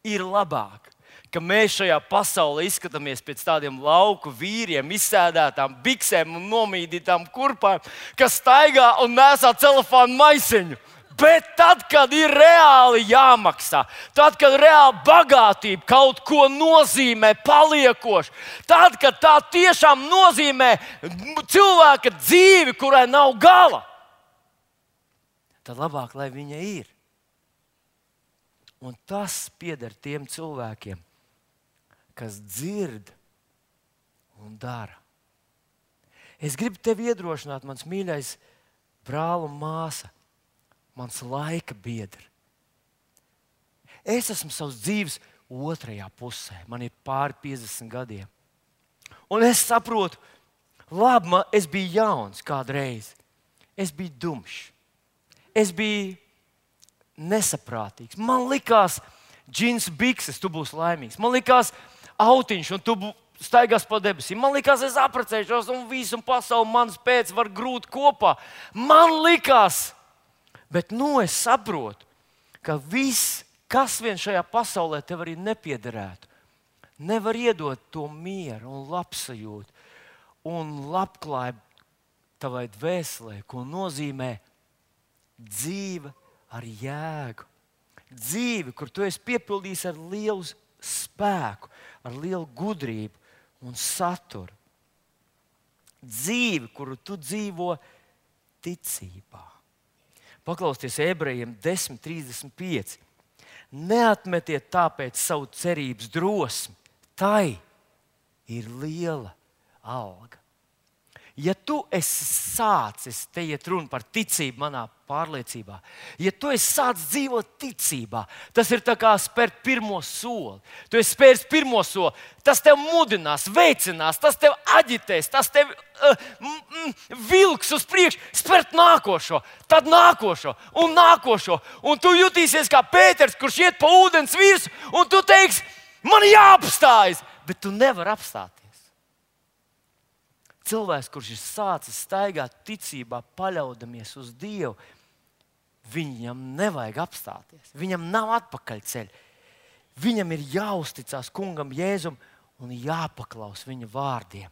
ir labāk, ka mēs šajā pasaulē izskatāmies pēc tādiem lauku vīriem, izsēdētām biksēm un nomīdītām kurpām, kas staigā un nesā celofānu maisiņu. Bet tad, kad ir reāli jāmaksā, tad, kad reāli bagātība kaut ko nozīmē paliekoši, tad, kad tā tiešām nozīmē cilvēka dzīvi, kurai nav gala, tad labāk, lai viņa ir. Un tas pieder tiem cilvēkiem, kas dzird un dara. Es gribu tevi iedrošināt, mans mīļais brāl un māsa, mans laika biedri. Es esmu savas dzīves otrajā pusē. Man ir pāri piecdesmit gadiem. Un es saprotu, labi, man, es biju jauns kādreiz. Es biju dumšs. Es biju nesaprātīgs. Man likās, džins bikses, tu būsi laimīgs. Man likās, autiņš, un tu staigās pa debesīm. Man likās, es apprecēšos, un visu pasauli manas pēc var grūt kopā. Man likās, bet nu es saprotu, ka viss, kas vien šajā pasaulē tev arī nepiederētu, nevar iedot to mieru un labsajūtu un labklājību tavai dvēselē, ko nozīmē dzīve ar jēgu. Dzīve, kur tu esi piepildījis ar lielu spēku, ar lielu gudrību un saturu. Dzīve, kuru tu dzīvo ticībā. Paklausieties Ebrejiem desmit trīsdesmit pieci. Neatmetiet tāpēc savu cerības drosmi. Tai ir liela alga. Ja tu esi sācis, te iet runa par ticību manā pārliecībā, ja tu esi sācis dzīvot ticībā, tas ir tā kā spērt pirmo soli. Tu esi spēris pirmo soli, tas tev mudinās, veicinās, tas tev aģitēs, tas tev uh, mm, mm, vilks uz priekšu, spērt nākošo, tad nākošo un nākošo. Un tu jutīsies kā Pēters, kurš iet pa ūdens virsmu, un tu teiksi, man jāapstājas, bet tu nevari apstāties. Cilvēks, kurš ir sācis staigāt ticībā, paļaudamies uz Dievu, viņam nevajag apstāties. Viņam nav atpakaļceļa. Viņam ir jāuzticas Kungam Jēzum un jāpaklaus viņa vārdiem.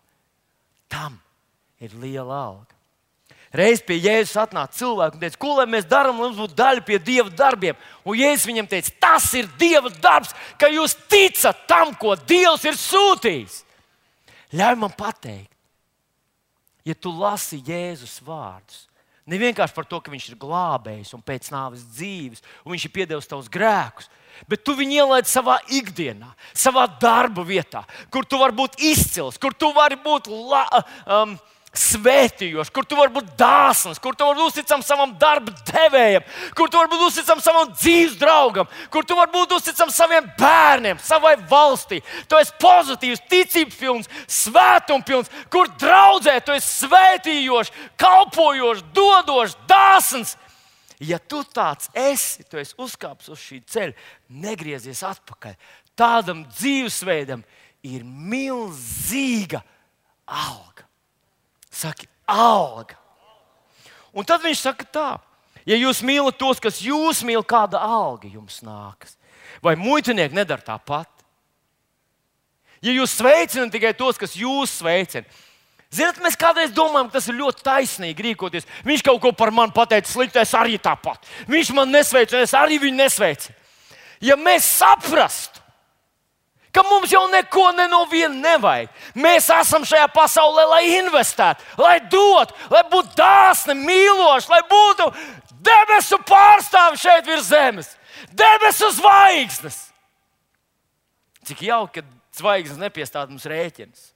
Tam ir liela alga. Reiz pie Jēzus atnāca cilvēks un teica, ko lai mēs darām, lai mums būtu daļa pie Dieva darbiem. Un Jēzus viņam teica, tas ir Dieva darbs, ka jūs ticat tam, ko Dievs ir sūtījis. Ļauj man pateikt. Ja tu lasi Jēzus vārdus, ne vienkārši par to, ka viņš ir glābējis un pēc nāves dzīves, un viņš ir piedevis tavus grēkus, bet tu viņu ielaidi savā ikdienā, savā darba vietā, kur tu vari būt izcils, kur tu vari būt la, um, svētījošs, kur tu vari būt dāsns, kur tu vari būt uzticams savam darba devējam, kur tu vari būt uzticams savam dzīves draugam, kur tu vari būt uzticams saviem bērniem, savai valstī. Tu esi pozitīvs, ticības pilns, svētums pilns, kur draudzē tu esi svētījošs, kalpojošs, dodošs, dāsns. Ja tu tāds esi, tu esi uzkāpis uz šī ceļa, negriezies atpakaļ. Tādam dzīvesveidam ir milzīga alga. Saki, alga. Un tad viņš saka tā, ja jūs mīlat tos, kas jūs mīl, kāda alga jums nākas? Vai muitinieki nedara tāpat? Ja jūs sveicināt tikai tos, kas jūs sveicina. Ziniet, mēs kādreiz domājam, ka tas ir ļoti taisnīgi rīkoties. Viņš kaut ko par mani pateica sliktu, es arī tāpat. Viņš man nesveicina, es arī viņu nesveicinu. Ja mēs saprastu, ka mums jau neko ne no viena nevajag. Mēs esam šajā pasaulē, lai investētu, lai dotu, lai būtu dāsni, mīloši, lai būtu debesu pārstāvi šeit virs zemes, debesu zvaigznes. Cik jauki, ka zvaigznes nepiestāda mums rēķinus.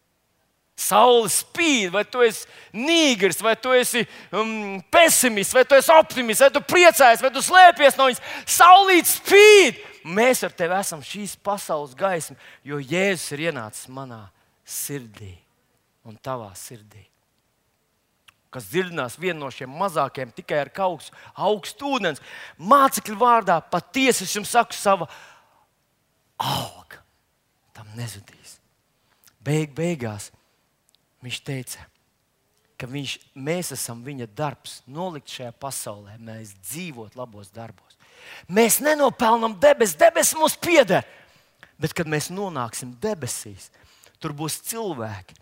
Saule spīd, vai tu esi nīgrs, vai tu esi um, pesimists, vai tu esi optimists, vai tu priecājies, vai tu slēpies no viņas. Saulīt spīd! Mēs ar tevi esam šīs pasaules gaisma, jo Jēzus ir ienācis manā sirdī un tavā sirdī. Kas dzirdinās vienu no šiem mazākiem tikai ar kaut augstu ūdens. Mācekļu vārdā patiesi es jums saku, sava auga tam nezudīs. Beig beigās viņš teica, ka viņš, mēs esam viņa darbs, nolikt šajā pasaulē, mēs dzīvot labos darbos. Mēs nenopelnam debes, debes mums pieder. Bet, kad mēs nonāksim debesīs, tur būs cilvēki,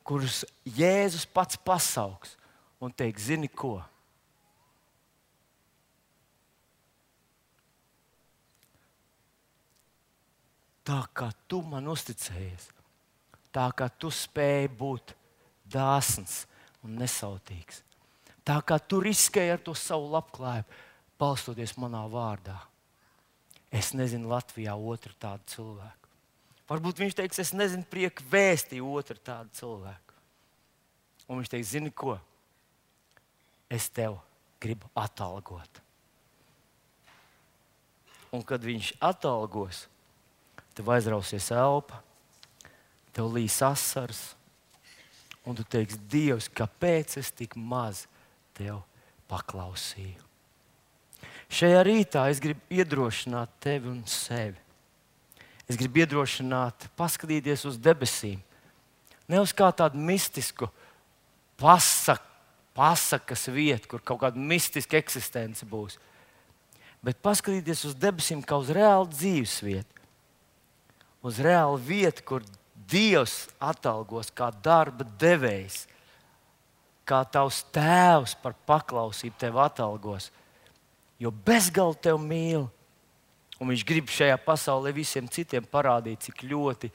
kurus Jēzus pats pasauks un teiks, zini ko? Tā kā tu man uzticējies, tā kā tu spēji būt dāsns un nesautīgs, tā kā tu riskēji ar to savu labklājību, balstoties manā vārdā. Es nezinu Latvijā otru tādu cilvēku. Varbūt viņš teiks, es nezinu prieku vēstī otru tādu cilvēku. Un viņš teiks, zini ko? Es tev gribu atalgot. Un kad viņš atalgos, tev aizrausies elpa, tev līs asars, un tu teiksi, Dievs, kāpēc es tik maz tev paklausīju? Šajā rītā es gribu iedrošināt tevi un sevi. Es gribu iedrošināt, paskatīties uz debesīm. Ne uz kā tādu mistisku pasak, pasakas vietu, kur kaut kāda mistiska eksistence būs. Bet paskatīties uz debesīm kā uz reālu dzīves vietu. Uz reālu vietu, kur Dievs atalgos kā darba devējs, kā tavs tēvs par paklausību tevi atalgos. Jo bezgalīgi tevi mīl. Un viņš grib šajā pasaulē visiem citiem parādīt, cik ļoti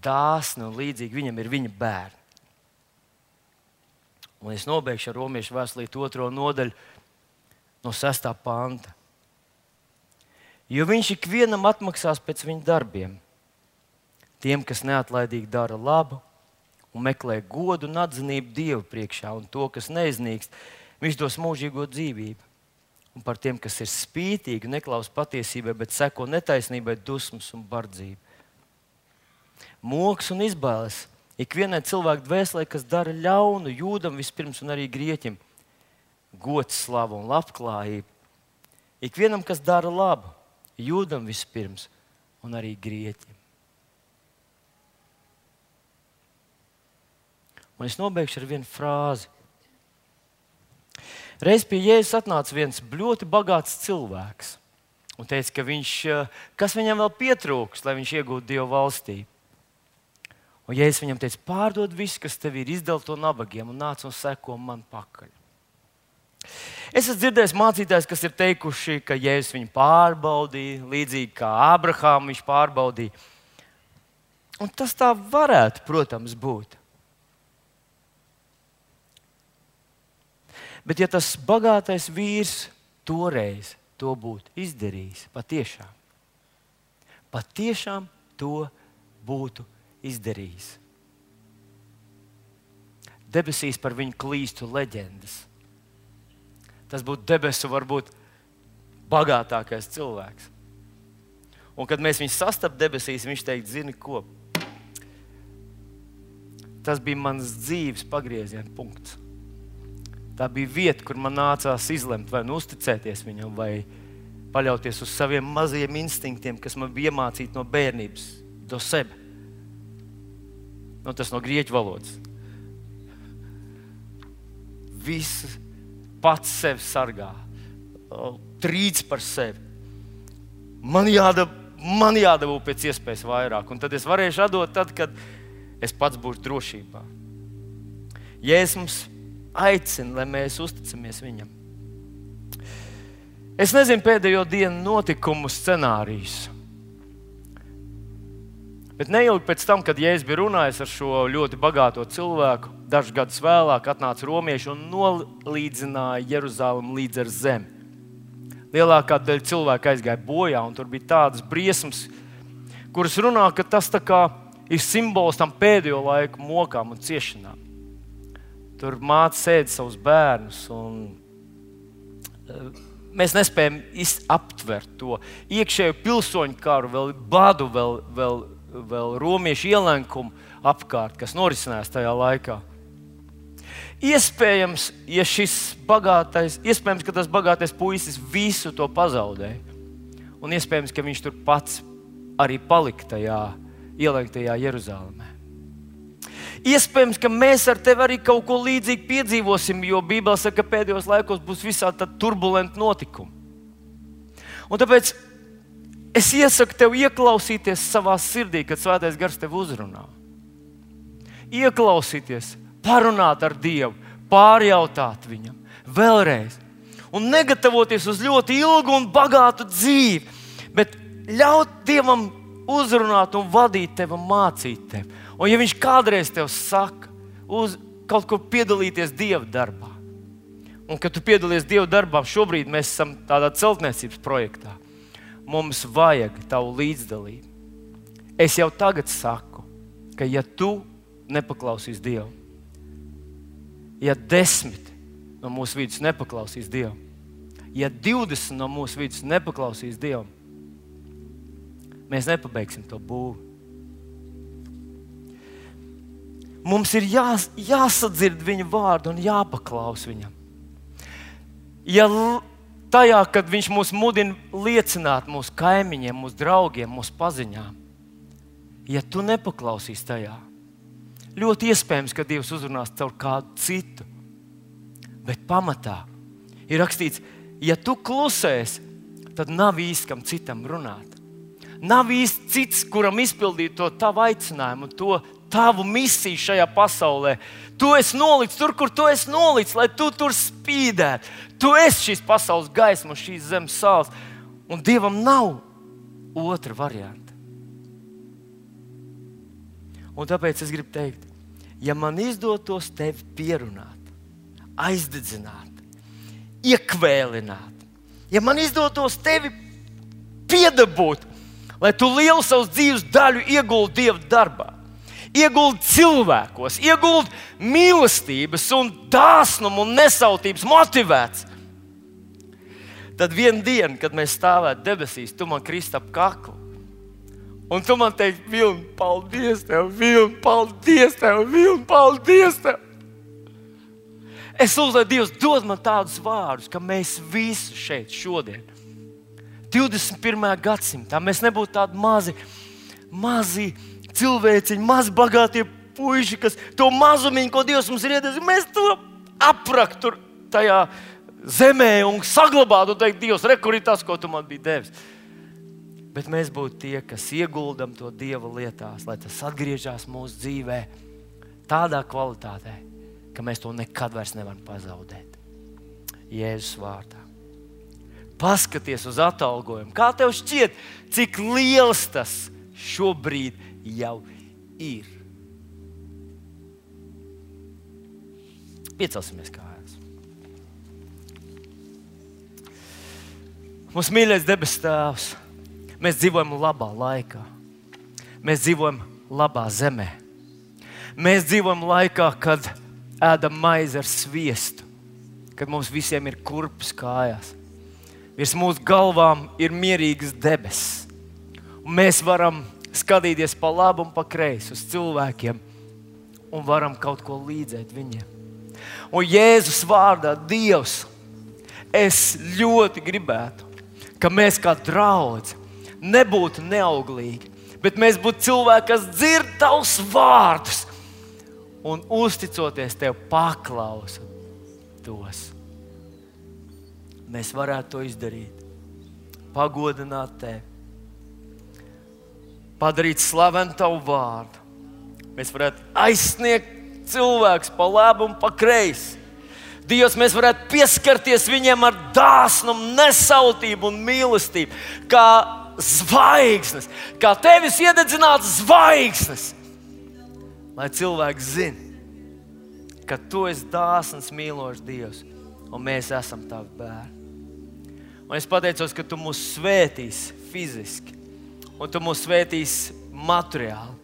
dāsni un līdzīgi viņam ir viņa bērni. Un es nobeigšu ar Romiešu vēstulīti otro nodaļu no sestā panta. Jo viņš ikvienam atmaksās pēc viņa darbiem. Tiem, kas neatlaidīgi dara labu un meklē godu un atzinību Dievu priekšā, un to, kas neiznīkst, viņš dos mūžīgo dzīvību. Un par tiem, kas ir spītīgi, neklaus patiesībai, bet seko netaisnībai, dusmas un bardzību. Moks un izbailes ikvienai cilvēku dvēselē, kas dara ļaunu, jūdam vispirms un arī grieķim, gods, slava un labklājība. Ikvienam, kas dara labu, jūdam vispirms un arī grieķim. Un es nobeigšu ar vienu frāzi. Reiz pie Jēzus atnāca viens ļoti bagāts cilvēks un teica, ka viņš, kas viņam vēl pietrūks, lai viņš iegūtu Dieva valstību. Un Jēzus viņam teica, pārdod visu, kas tev ir, izdali to nabagiem un nāc un seko man pakaļ. Es esmu dzirdējis mācītājus, kas ir teikuši, ka Jēzus viņu pārbaudīja, līdzīgi kā Abrahāmu viņš pārbaudīja. Un tas tā varētu, protams, būt. Bet ja tas bagātais vīrs toreiz to būtu izdarījis, patiešām, patiešām to būtu izdarījis. Debesīs par viņu klīstu leģendas. Tas būtu debesu varbūt bagātākais cilvēks. Un kad mēs viņu sastaptu debesīs, viņš teikt, zini ko? Tas bija mans dzīves pagrieziena punkts. Tā bija vieta, kur man nācās izlemt, vai nu uzticēties viņam, vai paļauties uz saviem mazajiem instinktiem, kas man bija iemācīti no bērnības, do sebe. Nu, tas no grieķu valodas. Viss pats sevi sargā, trīc par sevi. Man jādara, man jādabū pēc iespējas vairāk. Un tad es varēšu atdot tad, kad es pats būšu drošībā. Jēzus mums aicina, lai mēs uzticamies viņam. Es nezinu pēdējo dienu notikumu scenārijus. Bet neilgi pēc tam, kad Jēzus bija runājis ar šo ļoti bagāto cilvēku, dažus gadus vēlāk atnāca romieši un nolīdzināja Jeruzalemi līdz ar zemi. Lielākā daļa cilvēku aizgāja bojā, un tur bija tādas briesmas, kuras runā, ka tas tā kā ir simbols tam pēdējo laiku mokām un ciešanām. Tur māte sēd savus bērnus, un mēs nespējam aptvert to iekšējo pilsoņu karu, vēl badu, vēl, vēl, vēl romiešu ielenkumu apkārt, kas norisinājās tajā laikā. Iespējams, ja šis bagātais, iespējams, ka tas bagātais puisis visu to pazaudēja, un iespējams, ka viņš tur pats arī palika tajā ielenktajā Jeruzalemē. Iespējams, ka mēs ar tevi arī kaut ko līdzīgi piedzīvosim, jo Bībele saka, ka pēdējos laikos būs visādi turbulenti notikumi. Un tāpēc es iesaku tev ieklausīties savā sirdī, kad Svētais Gars tev uzrunā. Ieklausīties, parunāt ar Dievu, pārjautāt viņam vēlreiz. Un negatavoties uz ļoti ilgu un bagātu dzīvi, bet ļaut Dievam uzrunāt un vadīt tevi un mācīt tevi. Un ja viņš kādreiz tev saka, uz kaut kur piedalīties Dieva darbā, un kad tu piedalies Dieva darbā, šobrīd mēs esam tādā celtniecības projektā, mums vajag tavu līdzdalību. Es jau tagad saku, ka ja tu nepaklausīs Dievu, ja desmit no mūsu vidus nepaklausīs Dievu, ja divdesmit no mūsu vidus nepaklausīs Dievu, mēs nepabeigsim to būvi. Mums ir jā, jāsadzird viņa vārdu un jāpaklaus viņam. Ja tajā, kad viņš mūs mudina liecināt mūsu kaimiņiem, mūsu draugiem, mūsu paziņām, ja tu nepaklausīs tajā, ļoti iespējams, ka Dievs uzrunās caur kādu citu. Bet pamatā ir rakstīts, ja tu klusēsi, tad nav īsti kam citam runāt. Nav īsti cits, kuram izpildīt to tavu aicinājumu, to tavu misiju šajā pasaulē. Tu esi nolicis tur, kur tu esi nolicis, lai tu tur spīdētu. Tu esi šīs pasaules gaisma, šīs zemes sāls. Un Dievam nav otra varianta. Un tāpēc es gribu teikt, ja man izdotos tevi pierunāt, aizdedzināt, iekvēlināt, ja man izdotos tevi piedabūt, lai tu lielu savus dzīves daļu ieguldi Dieva darbā, ieguldi cilvēkos, ieguldi mīlestības un dāsnumu un nesautības motivēts, tad vienu dienu, kad mēs stāvētu debesīs, tu man krist ap kaklu. Un tu man teiksi, Vilni, paldies tev, Vilni, paldies tev, Vilni, paldies tev. Es lūdzu, lai Dievs dod man tādus vārdus, ka mēs visi šeit šodien, divdesmit pirmajā gadsimtā, mēs nebūtu tādi mazi, mazi cilvēciņi, mazi bagātie puiši, kas to mazumiņu, ko Dievs mums ir iedevis, mēs to aprakt tur tajā zemē un saglabāt un teikt, Dievs, re, kur ir tas, ko tu man biji devis. Bet mēs būtu tie, kas ieguldam to Dieva lietās, lai tas atgriežas mūsu dzīvē tādā kvalitātē, ka mēs to nekad vairs nevaram pazaudēt. Jēzus vārdā. Paskaties uz atalgojumu. Kā tev šķiet, cik liels tas šobrīd jau ir? Piecelsimies kājās. Mūsu mīļais debes Tēvs, mēs dzīvojam labā laikā. Mēs dzīvojam labā zemē. Mēs dzīvojam laikā, kad ēdam maizi ar sviestu, kad mums visiem ir kurpes kājās. Virs mūsu galvām ir mierīgas debesis. Un mēs varam skatīties pa labu un pa kreisi uz cilvēkiem un varam kaut ko līdzēt viņiem. Un Jēzus vārdā, Dievs, es ļoti gribētu, ka mēs kā draudze nebūtu neauglīgi, bet mēs būtu cilvēki, kas dzird tavus vārdus un uzticoties tev paklausa tos. Mēs varētu to izdarīt, pagodināt tevi, padarīt slavenu Tavu vārdu. Mēs varētu aizsniegt cilvēkus pa labi un pa kreisi. Dievs, mēs varētu pieskarties viņiem ar dāsnumu, nesautību un mīlestību, kā zvaigznes, kā Tevis iededzināts zvaigznes. Lai cilvēki zina, ka Tu esi dāsns, mīlošs Dievs, un mēs esam Tavi bērni. Un es pateicos, ka Tu mūs svētīsi fiziski, un Tu mūs svētīsi materiāli.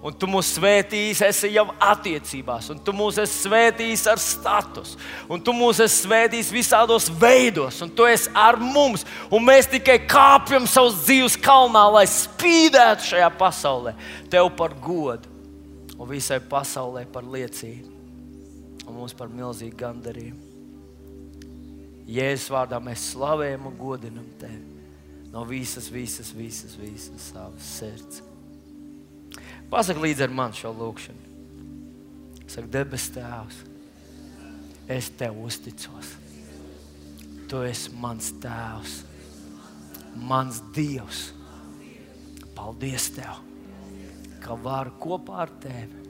Un Tu mūs svētījis, esi jau attiecībās, un Tu mūs esi svētījis ar status, un Tu mūs esi svētījis visādos veidos, un Tu esi ar mums, un mēs tikai kāpjam savus dzīves kalnā, lai spīdētu šajā pasaulē Tev par godu, un visai pasaulē par liecību, un mums par milzīgu gandarījumu. Jēzus vārdā mēs slavējam un godinam Tevi no visas, visas, visas, visas savas sirds. Pasaka līdz ar man šo lūkšanu. Saka, debes Tēvs, es Tev uzticos. Tu esi mans Tēvs, mans Dievs. Paldies Tev, ka varu kopā ar Tevi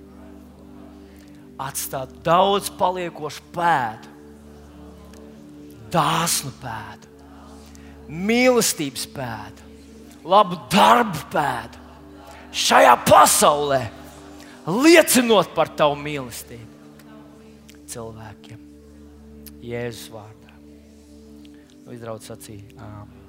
atstāt daudz paliekošu pēdu, dāsnu pēdu, mīlestības pēdu, labu darbu pēdu. Šajā pasaulē, liecinot par Tavu mīlestību cilvēkiem. Jēzus vārdā. Izdraudz sacīja. Āmen.